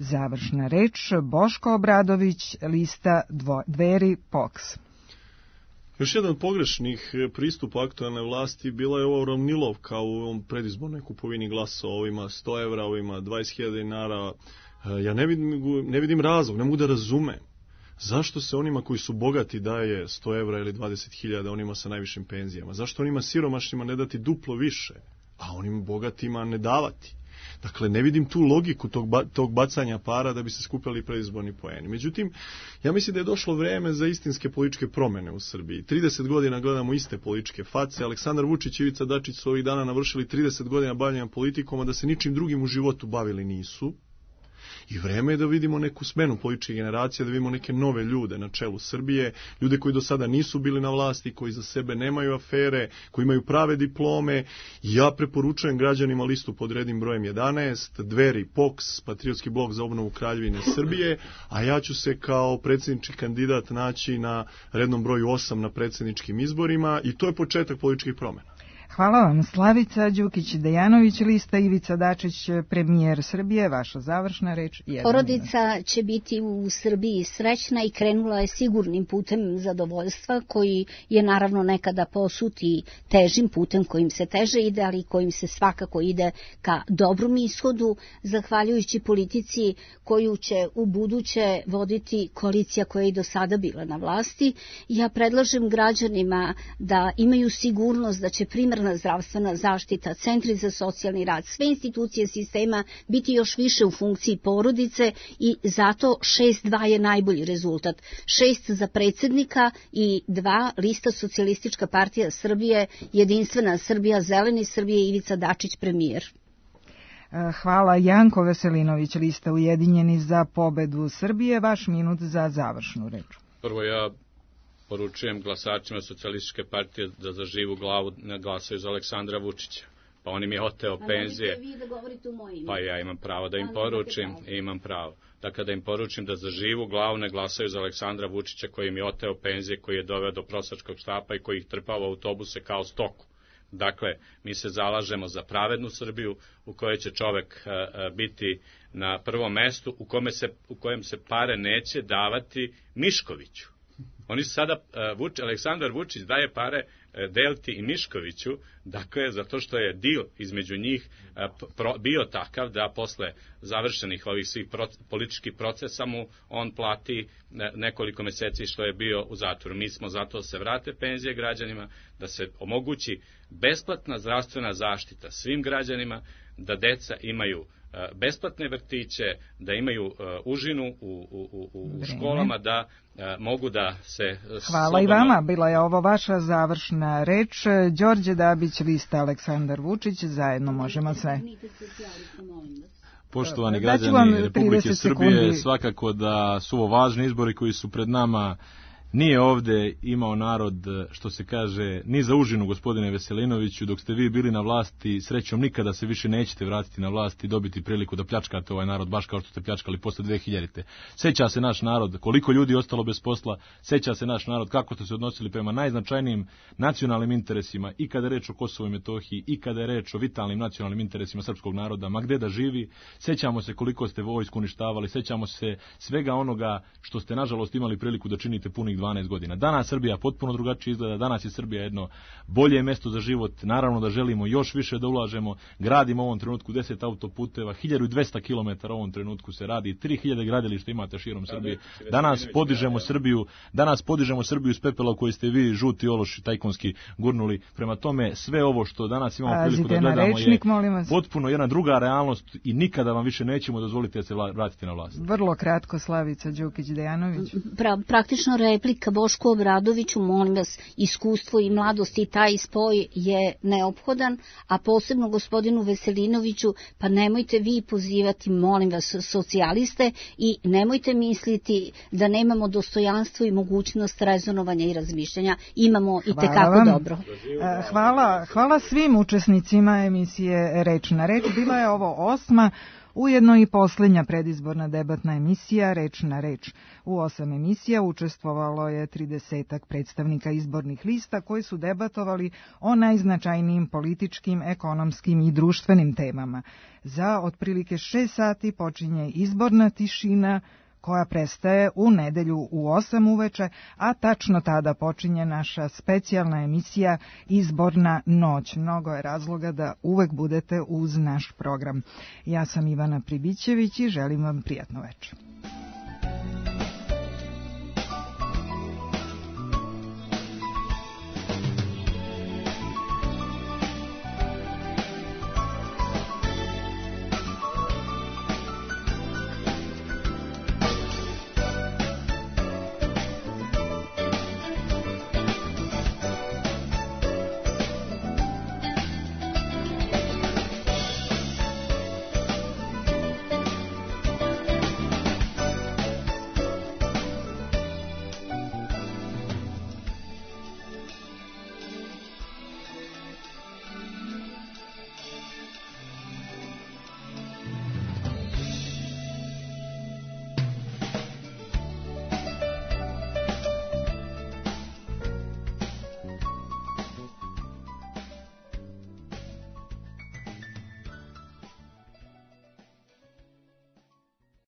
Završna reč Boško Obradović, lista Dveri POKS. Još jedan od pogrešnih pristupa aktualne vlasti bila je ova uravnilovka u ovom predizbornoj kupovini glasova, ovima 100 evra, ovima 20.000 dinara. Ja ne vidim razlog, ne mogu da razumem. Zašto se onima koji su bogati daje 100 evra ili 20.000 onima sa najvišim penzijama? Zašto onima siromašnima ne dati duplo više, a onim bogatima ne davati? Dakle, ne vidim tu logiku tog bacanja para da bi se skupili predizborni poeni. Međutim, ja mislim da je došlo vreme za istinske političke promene u Srbiji. 30 godina gledamo iste političke face. Aleksandar Vučić i Ivica Dačić su ovih dana navršili 30 godina bavljenja politikom, a da se ničim drugim u životu bavili nisu. I vreme je da vidimo neku smenu političke generacije, da vidimo neke nove ljude na čelu Srbije, ljude koji do sada nisu bili na vlasti, koji za sebe nemaju afere, koji imaju prave diplome. Ja preporučujem građanima listu pod rednim brojem 11, Dveri, POKS, Patriotski blok za obnovu Kraljevine Srbije, a ja ću se kao predsjednički kandidat naći na rednom broju 8 na predsjedničkim izborima i to je početak političkih promjena. Hvala vam. Slavica Đukić-Dejanović, lista Ivica Dačić, premijer Srbije, vaša završna reč. Porodica će biti u Srbiji srećna i krenula je sigurnim putem zadovoljstva, koji je naravno nekada posut i težim putem kojim se teže ide, ali kojim se svakako ide ka dobrom ishodu, zahvaljujući politici koju će u buduće voditi koalicija koja je i do sada bila na vlasti. Ja predlažem građanima da imaju sigurnost da će primarna zdravstvena zaštita, centri za socijalni rad, sve institucije sistema biti još više u funkciji porodice i zato 6-2 je najbolji rezultat. 6 za predsjednika i 2 lista Socijalistička partija Srbije, Jedinstvena Srbija, Zeleni Srbije, Ivica Dačić, premijer. Hvala. Janko Veselinović, lista Ujedinjeni za pobedu Srbije, vaš minut za završnu reč. Prvo ja poručujem glasačima Socijalističke partije da za živu glavu ne glasaju za Aleksandra Vučića. Pa on im je oteo penzije. Pa ja imam pravo da im poručim. Imam pravo. Dakle, da im poručim da za živu glavu ne glasaju za Aleksandra Vučića koji im je oteo penzije, koji je doveo do prosjačkog štapa i koji ih trpao u autobuse kao stoku. Dakle, mi se zalažemo za pravednu Srbiju u kojoj će čovek biti na prvom mestu, u kojem se pare neće davati Miškoviću. Oni su sada, Aleksandar Vučić daje pare Delti i Miškoviću, dakle, zato što je deal između njih bio takav da posle završenih ovih svih političkih procesa mu on plati nekoliko meseci što je bio u zatvoru. Mi smo zato da se vrate penzije građanima, da se omogući besplatna zdravstvena zaštita svim građanima, da deca imaju besplatne vrtiće, da imaju užinu u školama, da mogu da se... Hvala i vama, bila je ovo vaša završna reč. Đorđe Dabić, lista Aleksandar Vučić, zajedno možemo sve. Poštovani građani Republike Srbije, svakako da su ovo važni izbori koji su pred nama. Nije ovde imao narod, što se kaže, ni za užinu, gospodine Veselinoviću. Dok ste vi bili na vlasti, srećom nikada se više nećete vratiti na vlast i dobiti priliku da pljačkate ovaj narod, baš kao što ste pljačkali posle 2000. Seća se naš narod koliko ljudi je ostalo bez posla, seća se naš narod kako ste se odnosili prema najznačajnijim nacionalnim interesima, i kada je reč o Kosovu i Metohiji, i kada je reč o vitalnim nacionalnim interesima srpskog naroda, ma gde da živi. Sećamo se koliko ste vojsku uništavali, sećamo se svega onoga što ste nažalost imali priliku da činite punih 12 godina. Danas Srbija potpuno drugačije izgleda, danas je Srbija jedno bolje mesto za život, naravno da želimo još više da ulažemo, gradimo u ovom trenutku 10 autoputeva, 1200 km u ovom trenutku se radi, 3000 gradilišta imate širom Srbije. Danas podižemo Srbiju iz pepela u kojoj ste vi, žuti ološi tajkunski, gurnuli. Prema tome, sve ovo što danas imamo priliku da gledamo je potpuno jedna druga realnost i nikada vam više nećemo dozvoliti da se vratite na vlast. Vrlo kratko, Slavica Đukić-Dejanović. Praktično replika Bošku Obradoviću, molim vas, iskustvo i mladost i taj spoj je neophodan, a posebno gospodinu Veselinoviću, pa nemojte vi pozivati, molim vas, socijaliste i nemojte misliti da nemamo dostojanstvo i mogućnost rezonovanja i razmišljanja. Imamo i tekako dobro. Hvala svim učesnicima emisije Reč na reč. Bila je ovo 8. Ujedno i posljednja predizborna debatna emisija Reč na reč. U 8 emisija učestvovalo je 30-ak predstavnika izbornih lista koji su debatovali o najznačajnijim političkim, ekonomskim i društvenim temama. Za otprilike 6 sati počinje izborna tišina koja prestaje u nedelju u 8 uveče, a tačno tada počinje naša specijalna emisija Izborna noć. Mnogo je razloga da uvek budete uz naš program. Ja sam Ivana Pribićević i želim vam prijatno večer.